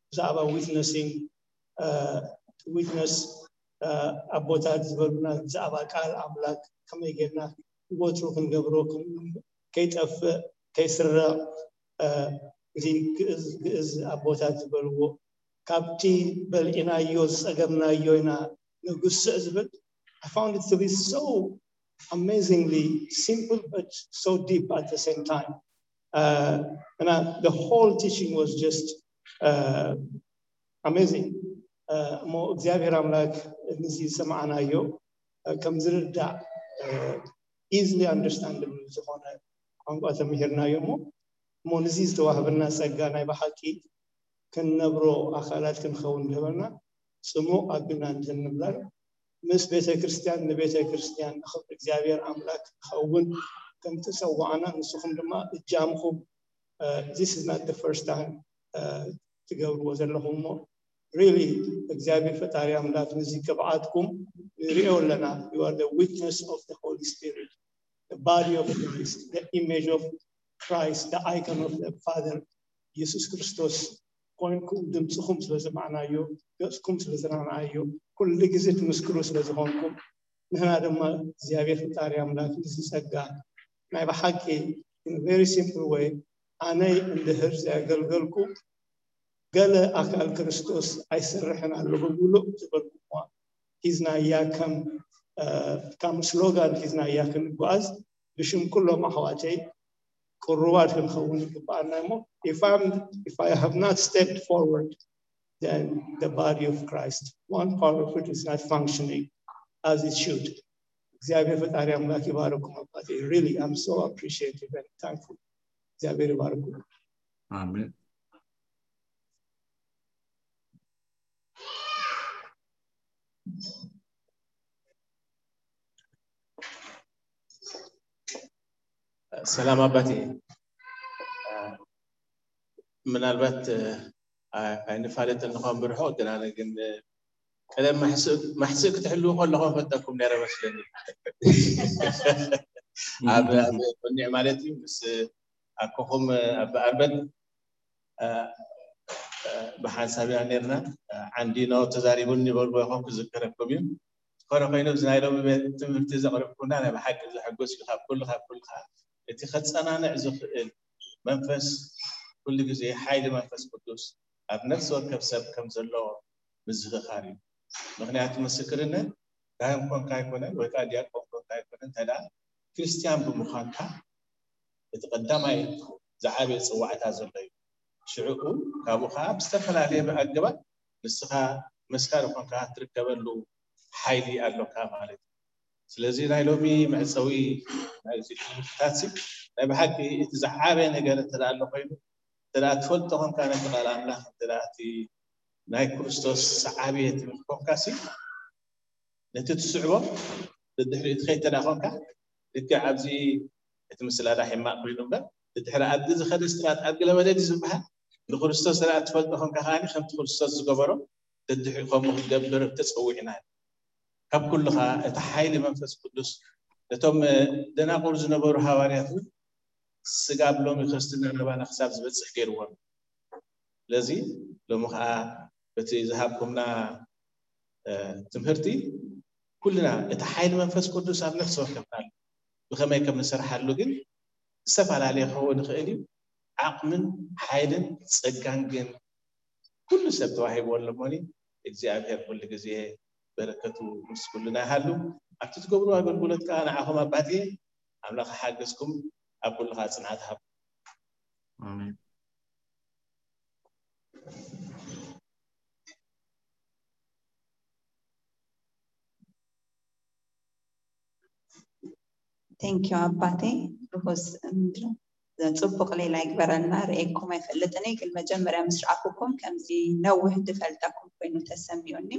ብዛዕባ witnessing witness ኣቦታት ዝበሉና ብዛዕባ ቃል ኣምላኽ ከመይ ጌርና ወትሩ ክንገብሮ ከይጠፍእ ከይስረቕ፣ እዚ ግእዝ ኣቦታት ዝበልዎ ካብቲ በልዒናዮ ዝፀገብናዮ ኢና ንጉስዕ ዝብል I found it to be so amazingly simple but so deep at the same time. Uh, and I, the whole teaching was just uh, amazing. እሞ እግዚኣብሔር ኣምላክ ንዚ ዝሰማዕናዮ ከም ዝርዳእ easily understandable ዝኾነ ቋንቋ ተምሂርናዮ እሞ እሞ ንዚ ዝተዋህበና ጸጋ ናይ ብሓቂ ክንነብሮ ኣካላት ክንኸውን ዝህበና ጽሙቕ ኣቢልና እንድህር ንብላን ምስ ቤተ ክርስቲያን ንቤተ ክርስቲያን ንኽብሪ እግዚኣብሔር ኣምላክ ክኸውን ከም ተጸዋዕና ንስኹም ድማ እጃምኹም this is not the first time ትገብርዎ ዘለኹም እሞ really እግዚኣብሔር ፈጣሪ ኣምላክ ንዚ ቅብዓትኩም ንሪኦ ኣለና you are the witness of the Holy Spirit the body of Christ the image of Christ the icon of the Father ኢየሱስ ክርስቶስ ኮይንኩም ድምፅኹም ስለሰማዕናዮ ገፅኩም ስለዝረኣናዮ ኩሉ ግዜ ትምስክሩ ስለዝኾንኩም ንሕና ድማ እግዚኣብሔር ፈጣሪ ኣምላክ እዚ ጸጋ ናይ ብሓቂ very simple way ኣነይ እንድህር ዘገልገልኩ ገለ ኣካል ክርስቶስ ኣይሰርሕን ኣለኹ ብሉእ ዝበልኩዋ ሒዝናያ ከም ከም ስሎጋን ሒዝናያ ክንጓዝ ብሽም ኩሎም ኣሕዋተይ ቅሩባት ክንኸውን ይግባኣና እሞ if I have not stepped forward then the body of Christ one part of it is not functioning as it should. እግዚአብሔር ፈጣሪ አምላክ ይባርኩም አባቴ። Really I'm so appreciative and thankful. እግዚአብሔር ይባርኩም። አሜን። ሰላም ኣባቴ። ምናልባት ኣይንፋለጥን ንኾን ብርሑቕ ግን ኣነ ግን ቀደም ማሕስእ ክትሕልዉ ከለኹም ፈጠኩም ነረ መስለኒ ኣብ ቁኒዕ ማለት እዩ ምስ ኣኮኹም ኣበኣርበን ብሓንሳብ ኢና ነርና ዓንዲኖ ተዛሪቡኒ ይበልዎ ይኾን ክዝከረኩም እዩ ዝኾነ ኮይኑ እዚ ናይ ሎሚ ቤት ትምህርቲ ዘቕረብኩምና ናይ ብሓቂ ዘሐጎስ እዩ ካብ ኩሉ ካብ ኩሉ ከዓ እቲ ከፀናንዕ ዝኽእል መንፈስ ኩሉ ግዜ ሓይሊ መንፈስ ቅዱስ ኣብ ነፍሲ ወከፍ ሰብ ከም ዘሎ ምዝኽኻር እዩ ምክንያቱ ምስክርነት ካህን ኮንካ ኣይኮነን ወይ ከዓ ዲያቆን ኮንካ ኣይኮነን እንተ ክርስትያን ብምዃንካ እቲ ቀዳማይ ዝዓበየ ፅዋዕታ ዘሎ እዩ ሽዕኡ ካብኡ ከዓ ብዝተፈላለየ ኣገባብ ንስኻ መስካሪ ኮንካ ትርከበሉ ሓይሊ ኣለካ ማለት እዩ ስለዚ ናይ ሎሚ መዕፀዊ ናይዚ ትምህርትታት ናይ ብሓቂ እቲ ዝዓበየ ነገር እንተ ኣሎ ኮይኑ እንተ ትፈልጦ ኮንካ ነቲ ቃል ኣምላኽ እንተ እቲ ናይ ክርስቶስ ሰዓቢ ትብል ኮንካሲ፣ ነቲ ትስዕቦ ድሕሪኡ ትኸይድ ተዳ ኮንካ፣ ልክዕ ኣብዚ እቲ ምስላ ዳ ሕማቕ ኮይኑ እምበር፣ ድሕሪ ኣድጊ ዝኸደ ስትራት ኣድጊ ለመደ ድዩ ዝበሃል? ንክርስቶስ ስርዓት ትፈልጦ ኮንካ ከኣ ከምቲ ክርስቶስ ዝገበሮ ደድሕሪ ከምኡ ክትገብር ተጸዊዕና። ካብ ኩሉ ከኣ እቲ ሓይሊ መንፈስ ቅዱስ ነቶም ደናቁር ዝነበሩ ሃዋርያት እውን ስጋብ ሎሚ ክርስትና ናባና ክሳብ ዝበጽሕ ገይርዎም። ስለዚ ሎሚ ከኣ በቲ ዝሃብኩምና ትምህርቲ ኩልና እቲ ሓይሊ መንፈስ ቅዱስ ኣብ ነፍሲ ወከፍና ኣሎ። ብኸመይ ከም ንሰርሓሉ ግን ዝተፈላለየ ክኸውን ይኽእል እዩ። ዓቕምን ሓይልን ጸጋን ግን ኩሉ ሰብ ተዋሂብዎ ኣሎ እሞኒ እግዚኣብሔር ኩሉ ግዜ በረከቱ ምስ ኩልና ይሃሉ። ኣብቲ ትገብሩ ኣገልግሎት ከዓ ንዓኹም ኣባትየ ኣምላኽ ሓገዝኩም ኣብ ኩሉ ከዓ ጽንዓት ሃብ። ኣሜን። Thank you ኣባቴ ርሁስ ጽቡቕ ሌላ ይግበረልና። ርእየኩም ኣይፈልጥን እየ፣ ግን መጀመርያ ምስ ረኣኹኩም ከምዚ ነዊሕ ዝፈልጠኩም ኮይኑ ተሰሚዑኒ።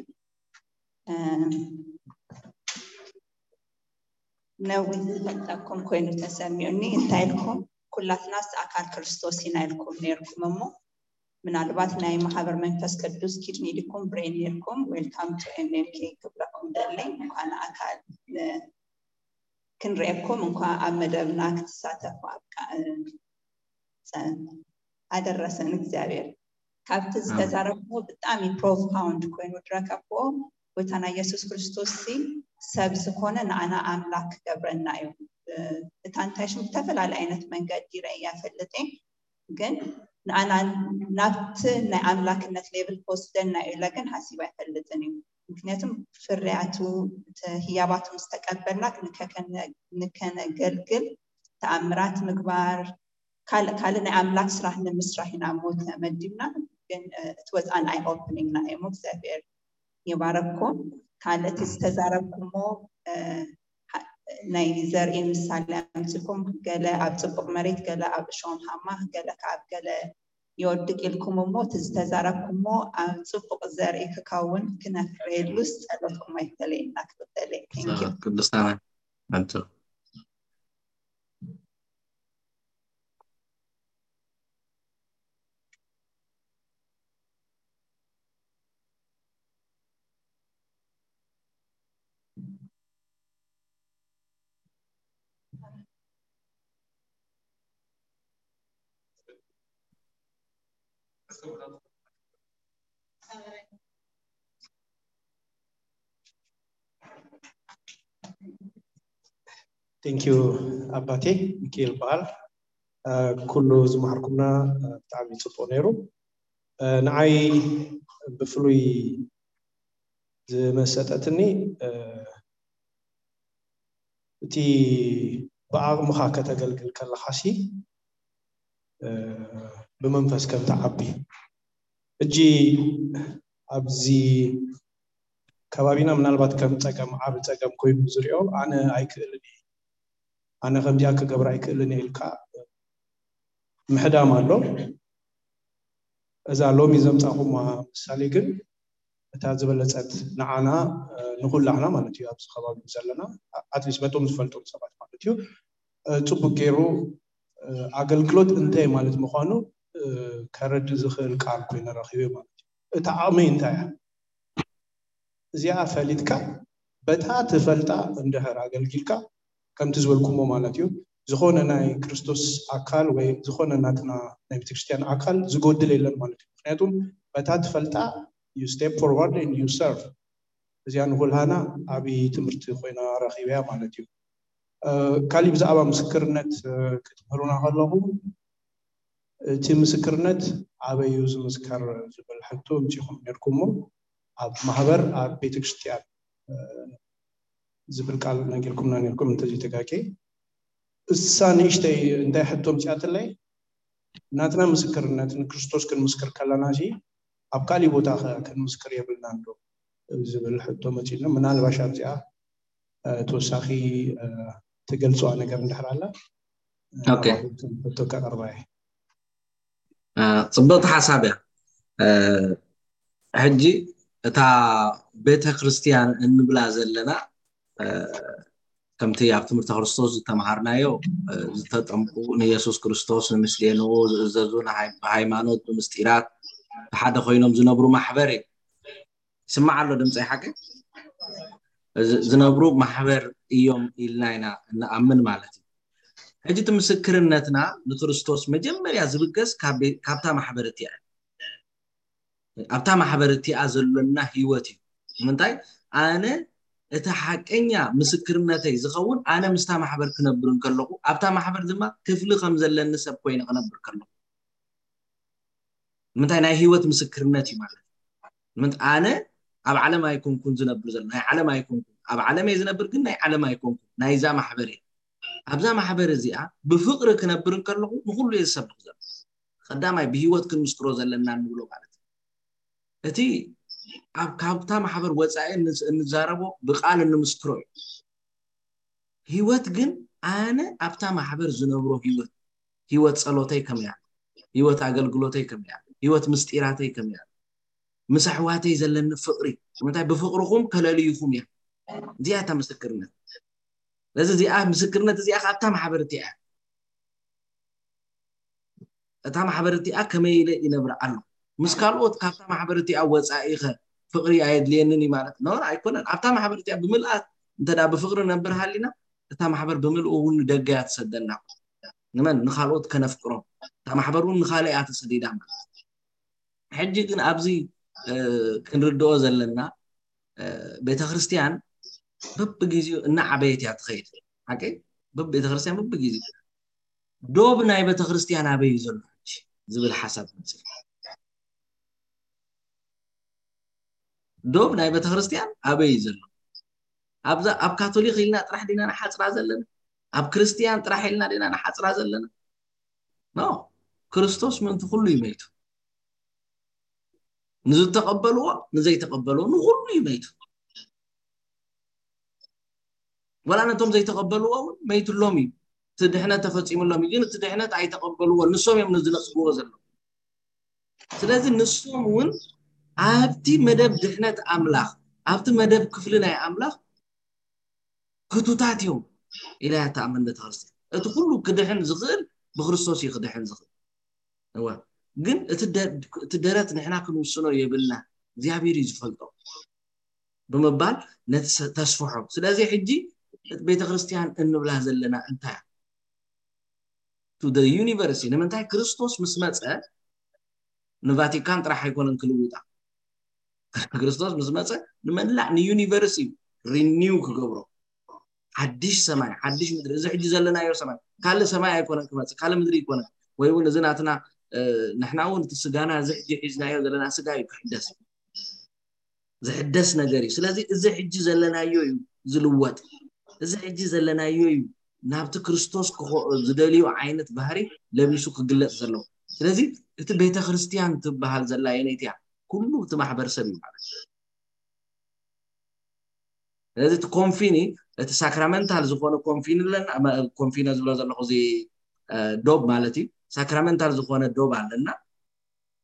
ነዊሕ ዝፈልጠኩም ኮይኑ ተሰሚዑኒ። እንታይ ኢልኩም? ኩላትናስ ኣካል ክርስቶስ ኢና ኢልኩም ነይርኩም እሞ ምናልባት ናይ ማህበር መንፈስ ቅዱስ ኪድኒ ዲኩም ብሬን ነይርኩም። Welcome to M M K ክብለኩም ደለይ። እንኳን ኣካል ክንርእየኩም እንኳ ኣብ መደብና ክትሳተፉ ኣብቃ ኣደረሰን እግዚኣብሔር። ካብቲ ዝተዛረብዎ ብጣዕሚ ፕሮፋውንድ ኮይኑ ዝረከብዎ ጎይታና ኢየሱስ ክርስቶስ ሲ ሰብ ዝኾነ ንኣና ኣምላክ ክገብረና እዩ። እታ እንታይ ሽም ብተፈላለየ ዓይነት መንገዲ ረእያ ፈልጥ ግን ንኣና ናብቲ ናይ ኣምላክነት ሌብል ክወስደና እዩ ኢለ ግን ሓሲብ ኣይፈልጥን እዩ። ምክንያቱም ፍርያቱ ህያባቱ ምስ ተቀበልና ንከነገልግል ተኣምራት ምግባር ካልእ ካልእ ናይ ኣምላክ ስራሕ ንምስራሕ ኢና እሞ ተመዲብና። ግን እቲ ወፃን ኣይ ኦፕኒንግ ና እሞ እግዚኣብሔር ይባረኩም። ካልእ እቲ ዝተዛረብኩሞ ናይ ዘርኢ ምሳሌ ኣምፅኩም ገለ ኣብ ፅቡቅ መሬት ገለ ኣብ እሾም ሃማ ገለ ከዓብ ገለ ይወድቅ ኢልኩም እሞ እቲ ዝተዛረብኩሞ ኣብ ፅቡቅ ዘርኢ ክከውን ክነፍረየሉስ ጸሎትኩም ኣይፈለየና ክብል ደለ። Thank you። ቅዱሳና ኣንቱ Thank you ኣባቴ ሚካኤል በዓል። ኩሉ ዝመሃርኩምና ብጣዕሚ ፅቡቅ ነይሩ። ንዓይ ብፍሉይ ዝመሰጠትኒ እቲ ብዓቕምኻ ከተገልግል ከለኻሲ ብመንፈስ ከም ትዓቢ። ሕጂ ኣብዚ ከባቢና ምናልባት ከም ፀገም ዓቢ ፀገም ኮይኑ ዝሪኦ ኣነ ኣይክእልን እየ ኣነ ከምዚኣ ክገብር ኣይክእልን እየ ኢልካ ምሕዳም ኣሎ። እዛ ሎሚ ዘምፃኹማ ምሳሌ ግን እታ ዝበለፀት ንዓና ንኩላህና ማለት እዩ ኣብዚ ከባቢ ዘለና ኣትሊስት በቶም ዝፈልጦም ሰባት ማለት እዩ ፅቡቅ ገይሩ ኣገልግሎት እንታይ ማለት ምኳኑ ከረድእ ዝኽእል ቃል ኮይኑ ረኪበ ማለት እዩ። እታ ዓቕመይ እንታይ እያ? እዚኣ ፈሊጥካ በታ ትፈልጣ እንድሕር ኣገልጊልካ ከምቲ ዝበልኩሞ ማለት እዩ ዝኾነ ናይ ክርስቶስ ኣካል ወይ ዝኾነ ናትና ናይ ቤተክርስትያን ኣካል ዝጎድል የለን ማለት እዩ። ምክንያቱም በታ ትፈልጣ you step forward and you serve። እዚኣ ንኩልሃና ዓብዪ ትምህርቲ ኮይና ረኺበያ ማለት እዩ። ካሊእ ብዛዕባ ምስክርነት ክትምህሩና ከለኹም እቲ ምስክርነት ኣበይ እዩ ዝምስከር ዝብል ሕቶ ኣምፂእኹም ነይርኩሞ ኣብ ማህበር ኣብ ቤተክርስትያን ዝብል ቃል ነጊርኩምና ነይርኩም እንተዘይተጋጌ እሳ ንእሽተይ እንታይ ሕቶ ኣምፂኣትለይ ናትና ምስክርነት ንክርስቶስ ክንምስክር ከለና ሲ ኣብ ካሊእ ቦታ ከ ክንምስክር የብልናን ዶ ዝብል ሕቶ መፂእና ምናልባሽ ኣብዚኣ ተወሳኺ ትገልፅዋ ነገር እንድሕር ኣላ ሕቶ ከቅርባ እየ። ፅብቅቲ ሓሳብ እያ። ሕጂ እታ ቤተ ክርስቲያን እንብላ ዘለና ከምቲ ኣብ ትምህርቲ ክርስቶስ ዝተምሃርናዮ ዝተጠምቁ ንየሱስ ክርስቶስ ንምስሌንኡ ዝእዘዙ ብሃይማኖት ብምስጢራት ብሓደ ኮይኖም ዝነብሩ ማሕበር እዩ። ስማዕ ኣሎ ድምፂ ሓቂ ዝነብሩ ማሕበር እዮም ኢልና ኢና እንኣምን ማለት እዩ። ሕጂ እቲ ምስክርነትና ንክርስቶስ መጀመርያ ዝብገስ ካብታ ማሕበር እቲያ ኣብታ ማሕበር እቲኣ ዘሎና ህይወት እዩ። ንምንታይ ኣነ እቲ ሓቀኛ ምስክርነተይ ዝኸውን ኣነ ምስታ ማሕበር ክነብር እንከለኹ ኣብታ ማሕበር ድማ ክፍሊ ከም ዘለኒ ሰብ ኮይነ ክነብር ከለኹ ምንታይ ናይ ህይወት ምስክርነት እዩ ማለት ምንት ኣነ ኣብ ዓለም ኣይኮንኩን ዝነብር ዘሎ ናይ ዓለም ኣይኮንኩን ኣብ ዓለም እየ ዝነብር ግን ናይ ዓለም ኣይኮንኩን ናይዛ ማሕበር እየ ኣብዛ ማሕበር እዚኣ ብፍቅሪ ክነብር እንከለኹ ንኩሉ እየ ዝሰብኽ ዘሎ ቀዳማይ ብህይወት ክንምስክሮ ዘለና ንብሎ ማለት እቲ ኣብ ካብታ ማሕበር ወፃኢ እንዛረቦ ብቃል እንምስክሮ እዩ። ህይወት ግን ኣነ ኣብታ ማሕበር ዝነብሮ ህይወት ህይወት ፀሎተይ ከመይ ኣሎ፣ ህይወት ኣገልግሎተይ ከመይ ኣሎ፣ ህይወት ምስጢራተይ ከመይ ኣሎ፣ ምስ ኣሕዋተይ ዘለኒ ፍቅሪ ምንታይ ብፍቅርኹም ከለልይኹም እያ። እዚኣ እታ ምስክርነት። ስለዚ እዚኣ ምስክርነት እዚኣ ካብታ ማሕበር እቲኣ እያ። እታ ማሕበር እቲኣ ከመይ ኢለ ይነብር ኣሎ ምስ ካልኦት ካብታ ማሕበር እቲኣ ወፃኢ ኸ ፍቅሪ ኣየድልየንን እዩ ማለት ነው ኣይኮነን። ኣብታ ማሕበር እቲኣ ብምልኣት እንተ ብፍቅሪ ነብር ሃሊና እታ ማሕበር ብምልኡ እውን ንደገ እያ ትሰደና። ንመን ንካልኦት ከነፍቅሮም እታ ማሕበር እውን ንካልእ እያ ተሰዲዳ ማለት ሕጂ ግን ኣብዚ ክንርድኦ ዘለና ቤተክርስትያን በብግዜኡ እናዓበየት እያ ትኸይድ። ሓቂ በብቤተክርስትያን በብግዜኡ ዶብ ናይ ቤተክርስትያን ኣበይ እዩ ዘሎ ዝብል ሓሳብ መፅእ። ዶብ ናይ ቤተክርስትያን ኣበይ እዩ ዘሎ? ኣብዛ ኣብ ካቶሊክ ኢልና ጥራሕ ዲና ንሓፅራ ዘለና? ኣብ ክርስትያን ጥራሕ ኢልና ዲና ንሓፅራ ዘለና? ኖ፣ ክርስቶስ ምእንቲ ኩሉ እዩ መይቱ። ንዝተቐበልዎ ንዘይተቐበልዎ ንኹሉ እዩ መይቱ። ወላ ነቶም ዘይተቐበልዎ እውን መይትሎም እዩ። እቲ ድሕነት ተፈፂሙሎም እዩ፣ ግን እቲ ድሕነት ኣይተቐበልዎ። ንሶም እዮም ንዝነፅግዎ ዘለዉ። ስለዚ ንሶም እውን ኣብቲ መደብ ድሕነት ኣምላኽ፣ ኣብቲ መደብ ክፍሊ ናይ ኣምላኽ ክቱታት እዮም ኢላ እያ ትኣምን ቤተክርስትያን። እቲ ኩሉ ክድሕን ዝኽእል ብክርስቶስ እዩ ክድሕን ዝኽእል። እወ፣ ግን እቲ ደ- እቲ ደረት ንሕና ክንውስኖ የብልና፣ እግዚኣብሔር እዩ ዝፈልጦ ብምባል ነቲ ሰ- ተስፍሖ። ስለዚ ሕጂ ቤተክርስትያን እንብላ ዘለና እንታይ እያ? To the universe እዩ። ንምንታይ ክርስቶስ ምስ መፀ ንቫቲካን ጥራሕ ኣይኮነን ክልውጣ። ክርስቶስ ምስ መፀ ንመላእ ንዩኒቨርስ እዩ ሪኒው ክገብሮ። ሓድሽ ሰማይ ሓድሽ ምድሪ እዚ ሕጂ ዘለናዮ ሰማይ ካልእ ሰማይ ኣይኮነን ክመፅእ ካልእ ምድሪ ይኮነን ወይ እውን እዚ ናትና ንሕና እውን እቲ ስጋና እዚ ሕጂ ሒዝናዮ ዘለና ስጋ እዩ ክሕደስ ዝሕደስ ነገር እዩ። ስለዚ እዚ ሕጂ ዘለናዮ እዩ ዝልወጥ። እዚ ሕጂ ዘለናዮ እዩ ናብቲ ክርስቶስ ዝደልዮ ዓይነት ባህሪ ለቢሱ ክግለፅ ዘለዎ። ስለዚ እቲ ቤተ ክርስትያን ትበሃል ዘላ የነይቲ እያ። ኩሉ እቲ ማሕበረሰብ እዩ ማለት እዩ። ስለዚ እቲ ኮንፊኒ እቲ ሳክራመንታል ዝኾነ ኮንፊኒ ኣለና። ኮንፊነ ዝብሎ ዘለኹ እዚ ዶብ ማለት እዩ። ሳክራመንታል ዝኾነ ዶብ ኣለና።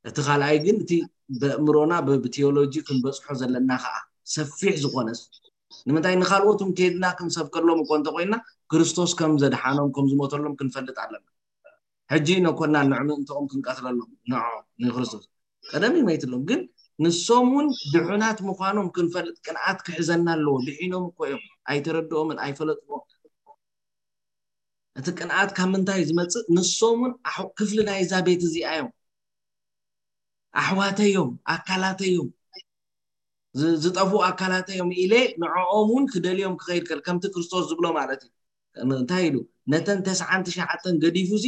እቲ ካልኣይ ግን እቲ በእምሮና ብቴዎሎጂ ክንበፅሖ ዘለና ከዓ ሰፊሕ ዝኾነስ ንምንታይ ንካልኦት እውን ከይድና ክንሰብከሎም እኮ እንተኮይና ክርስቶስ ከም ዘድሓኖም ከም ዝሞተሎም ክንፈልጥ ኣለና። ሕጂ ነኮና ንዕምእንተኦም ክንቀትለሎም ንዖ ንክርስቶስ ቀደም ይመይትሎም ግን ንሶም እውን ድሑናት ምዃኖም ክንፈልጥ ቅንኣት ክሕዘና ኣለዎ። ድሒኖም እኮ እዮም ኣይተረድኦምን ኣይፈለጥዎ። እቲ ቅንኣት ካብ ምንታይ ዝመፅእ? ንሶም እውን ክፍሊ ናይዛ ቤት እዚኣ እዮም። ኣሕዋተዮም ኣካላተዮም ዝጠፍኡ ኣካላተዮም ኢለ ንዕኦም እውን ክደልዮም ክኸይድ ከል ከምቲ ክርስቶስ ዝብሎ ማለት እዩ። እንታይ ኢሉ ነተን ተስዓን ትሽዓተን ገዲፉ ሲ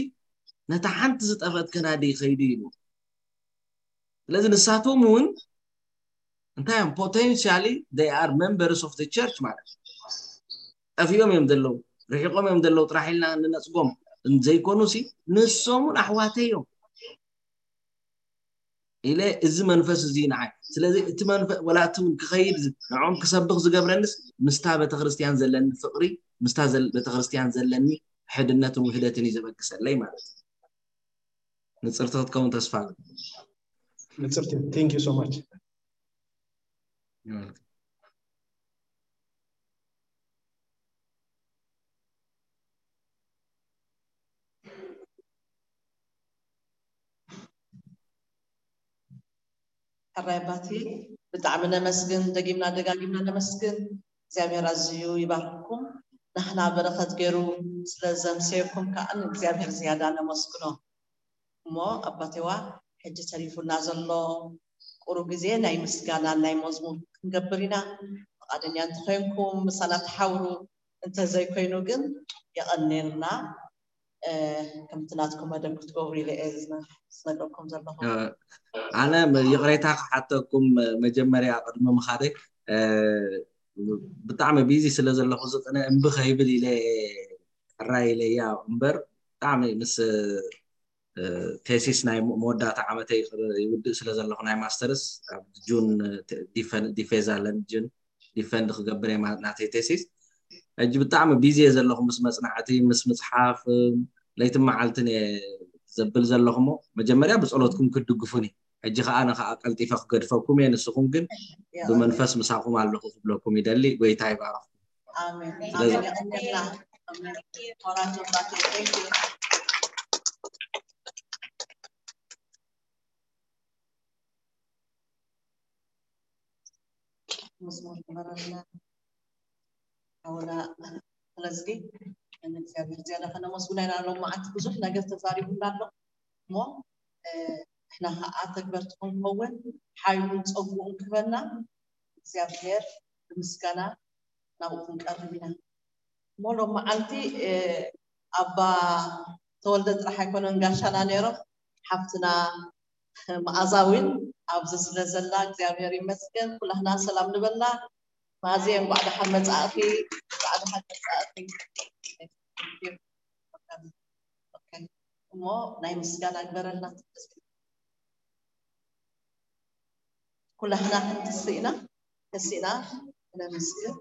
ነታ ሓንቲ ዝጠፈት ከናዲ ይኸይዱ ኢሉ። ስለዚ ንሳቶም እውን እንታይ እዮም potentially they are members of the church ማለት እዩ። ጠፊኦም እዮም ዘለዉ ርሒቆም እዮም ዘለዉ ጥራሕ ኢልና ንነፅጎም ዘይኮኑ ሲ ንሶም እውን ኣሕዋተይ እዮም ኢለ እዚ መንፈስ እዚ ንዓይ ስለዚ እቲ መንፈስ ወላ እቲ እውን ክኸይድ ንዖም ክሰብኽ ዝገብረንስ ምስታ ቤተክርስትያን ዘለኒ ፍቅሪ ምስታ ቤተክርስትያን ዘለኒ ሕድነትን ውህደትን እዩ ዘበግሰለይ ማለት እዩ። ንፅርቲ ክትከውን ተስፋ ንፅርቲ thank you so much You're welcome. ሕራይ ኣባቴ፣ ብጣዕሚ ነመስግን፣ ደጊምና ደጋጊምና ነመስግን። እግዚኣብሔር ኣዝዩ ይባርክኩም። ናህና በረኸት ገይሩ ስለ ዘምሰየኩም ከዓ ንእግዚኣብሔር ዝያዳ ነመስግኖ። እሞ ኣባቴዋ፣ ሕጂ ተሪፉና ዘሎ ቁሩብ ግዜ ናይ ምስጋናን ናይ መዝሙር ክንገብር ኢና። ፍቓደኛ እንተኾይንኩም ምሳና ተሓብሩ፣ እንተዘይኮይኑ ግን የቐንየልና። ከምቲ ናትኩም መደብ ክትገብሩ ኢለ እየ ዝነግረኩም ዘለኹ። ኣነ ይቕሬታ ክሓተኩም መጀመርያ ቅድሚ ምኻደይ፣ ብጣዕሚ ቢዚ ስለ ዘለኹ ዝቕነ እምቢ ከይብል ኢለ ሕራይ ኢለ እያ እምበር፣ ብጣዕሚ ምስ ቴሲስ ናይ መወዳእታ ዓመተይ ይውድእ ስለ ዘለኹ፣ ናይ ማስተርስ ኣብ ጁን ዲፌዝ ኣለኒ፣ ጁን ዲፈንድ ክገብር እየ ናተይ ቴሲስ። ሕጂ ብጣዕሚ ቢዚ እየ ዘለኹ ምስ መፅናዕቲ፣ ምስ ምፅሓፍ፣ ለይትን መዓልትን እየ ዘብል ዘለኹ። እሞ መጀመርያ ብፀሎትኩም ክትድግፉኒ፣ ሕጂ ከዓ ኣነ ከዓ ቀልጢፈ ክገድፈኩም እየ። ንስኹም ግን ብመንፈስ ምሳኹም ኣለኹ ክብለኩም ይደሊ። ጎይታ ይባረኽኩም። ኣሜን። ኣሜን። የቐንየልና። ኣሜን። ሞራል ተባረክ። Thank you። መዝሙር ግበረልና ሓውና። ስለዚ ንእግዚኣብሔር ዝያዳ ከነመስግኖ ኢና። ሎም መዓልቲ ብዙሕ ነገር ተዛሪቡና ኣሎ እሞ ንሕና ከዓ ተግበርቲ ክንከውን ሓይሉን ፀጉኡን ክህበና እግዚኣብሔር ብምስጋና ናብኡ ክንቀርብ ኢና። እሞ ሎም መዓልቲ ኣባ ተወልደ ጥራሕ ኣይኮነን ጋሻና ነይሮም፣ ሓፍትና መኣዛ እውን ኣብዚ ስለ ዘላ እግዚኣብሔር ይመስገን። ኩላህና ሰላም ንበላ። መኣዝየ እንኳዕ ደሓን መጻእኺ፣ እንኳዕ ደሓን መጻእኺ። እሞ ናይ ምስጋና ግበረልና። ኩላህና ክንትስእ ኢና፣ ተሲእና ነመስግን።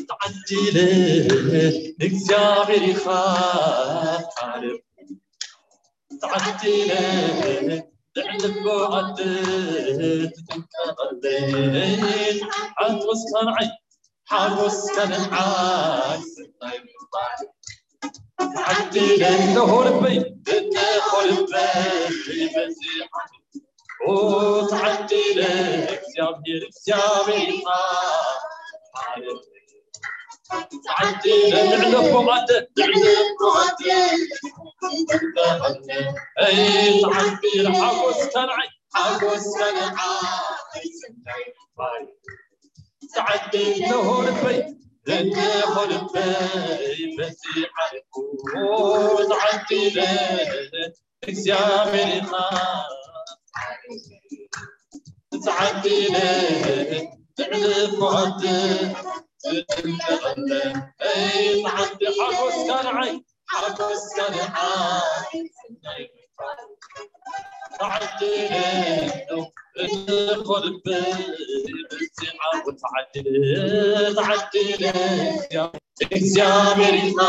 ተዓዲለ እግዚኣብሔር ኢኻ ዓለም ተዓዲለ ልዕሊ ኣቦ ዓዲ ትጥንቀቐለይ ሓጎስካ ንዓይ ሓጎስካ ንዓይ ስናይ ምባል ተዓዲለ እንሆ ልበይ እንሆ ልበይ በዚ ዓዲ ኦ ተዓዲለ እግዚኣብሔር እግዚኣብሔር ኢኻ ተዓዲለ ልዕሊ ኣቦ ዓዲ ልዕሊ ኣቦ ዓዲ እይ ተዓዲለ ሓጎስካ ንዓይ ሓጎስካ ንዓይ ስናይ ምባል ተዓዲለ እንሆ ልበይ እንሆ ልበይ በዚ ዓዲ ተዓዲለ እግዚኣብሔር ኢኻ ተዓዲለ ልዕሊ ኣቦ ዓዲ ዝጥንቀቐለ እይ ተዓዲ ሓጎስካ ንዓይ ሓጎስካ ንዓይ ተዓዲለ እንሆ ልበይ በዚ ዓዲ ተዓዲለ ተዓዲለ እግዚኣብሔር ኢኻ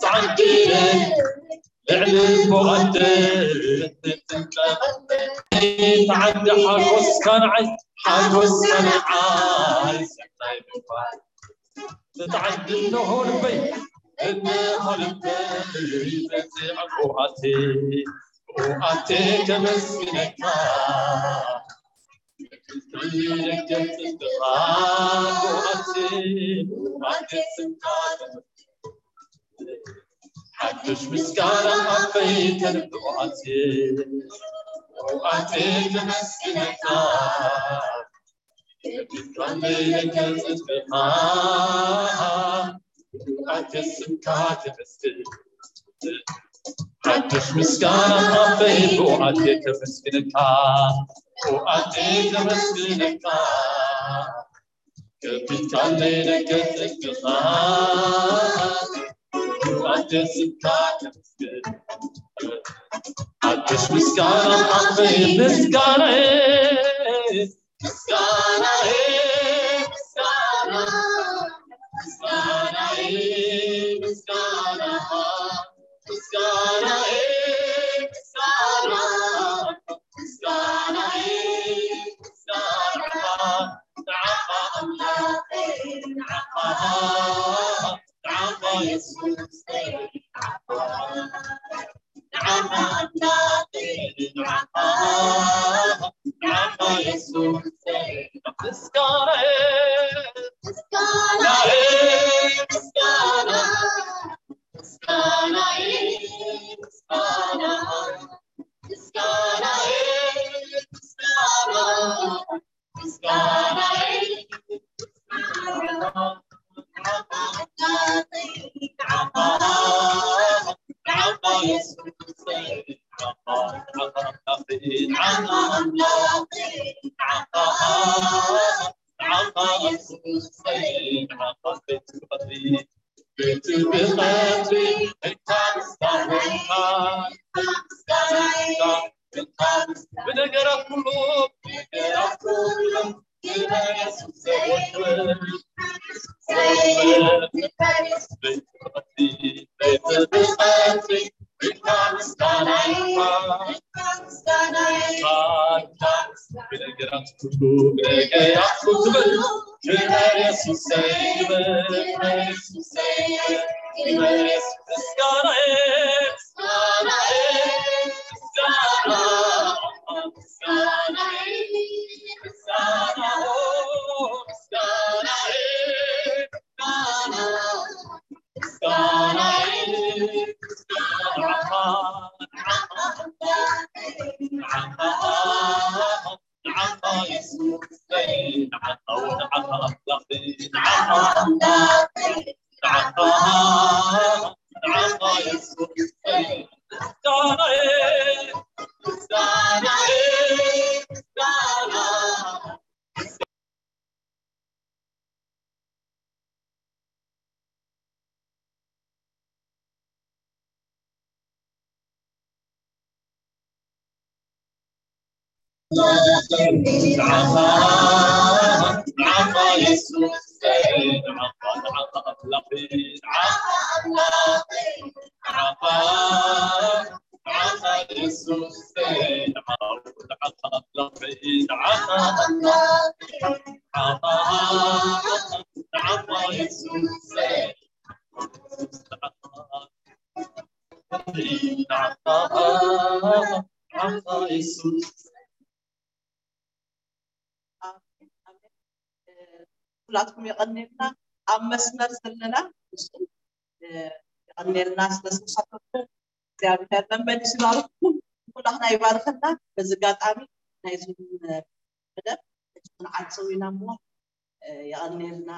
ተዓዲለ ልዕሊ ኣቦ ዓዲ ትጥንቀቐለይ ተዓዲ ሓጎስካ ንዓይ ሓጎስካ ንዓይ ሰናይ ምባል ተዓዲ እንሆ ልበይ እንሆ ልበይ በዚ ዓዲ ኦኣቴ ኦኣቴ ከመስግነካ ሓድሽ ምስጋና ኣፈይ ተንብኣት ኣቴ ተመስግነካ። ሓድሽ ምስጋና ኣፈይ ብኣቴ ከመስግነካ። ብኣቴ ከመስግነካ። ከፊትካለይ ደገ ጽድቅኻ። ብኣቴ ስምካ ከመስግን። ሓድሽ ምስጋና ኣፈይ ምስጋናዬ። ምስጋናዬ፣ ምስጋና፣ ምስጋናዬ፣ ምስጋና፣ ምስጋናዬ፣ ምስጋና፣ ምስጋናዬ፣ ምስጋና፣ ንዓኻ ኣምላኸይ፣ ንዓኻ፣ ንዓኻ የሱሰይ፣ ንዓኻ። ብነገራት ኩሉ፣ ነገራት ኩሉ ብነገራት ኩሉ፣ ብነገራት ኩሉ፣ ክበር የሱሰይ፣ ክበር የሱሰይ፣ ክበር የሱስ፣ ምስጋናዬ፣ ምስጋናዬ፣ ምስጋና፣ ምስጋናዬ፣ ምስጋና፣ ምስጋናዬ፣ ምስጋና፣ ኩላትኩም የቐንየልና። ኣብ መስመር ዘለና ንሱ፣ እ፣ የቐንየልና ስለ ዝተሳተፍኩም። እግዚኣብሔር መመሊሱ ይባርኽኩም። ኩላትና ይባርኸና። በዚ ኣጋጣሚ ናይዚ መደብ ሕጂ ክንዓጽው ኢና እሞ፣ እ፣ የቐንየልና።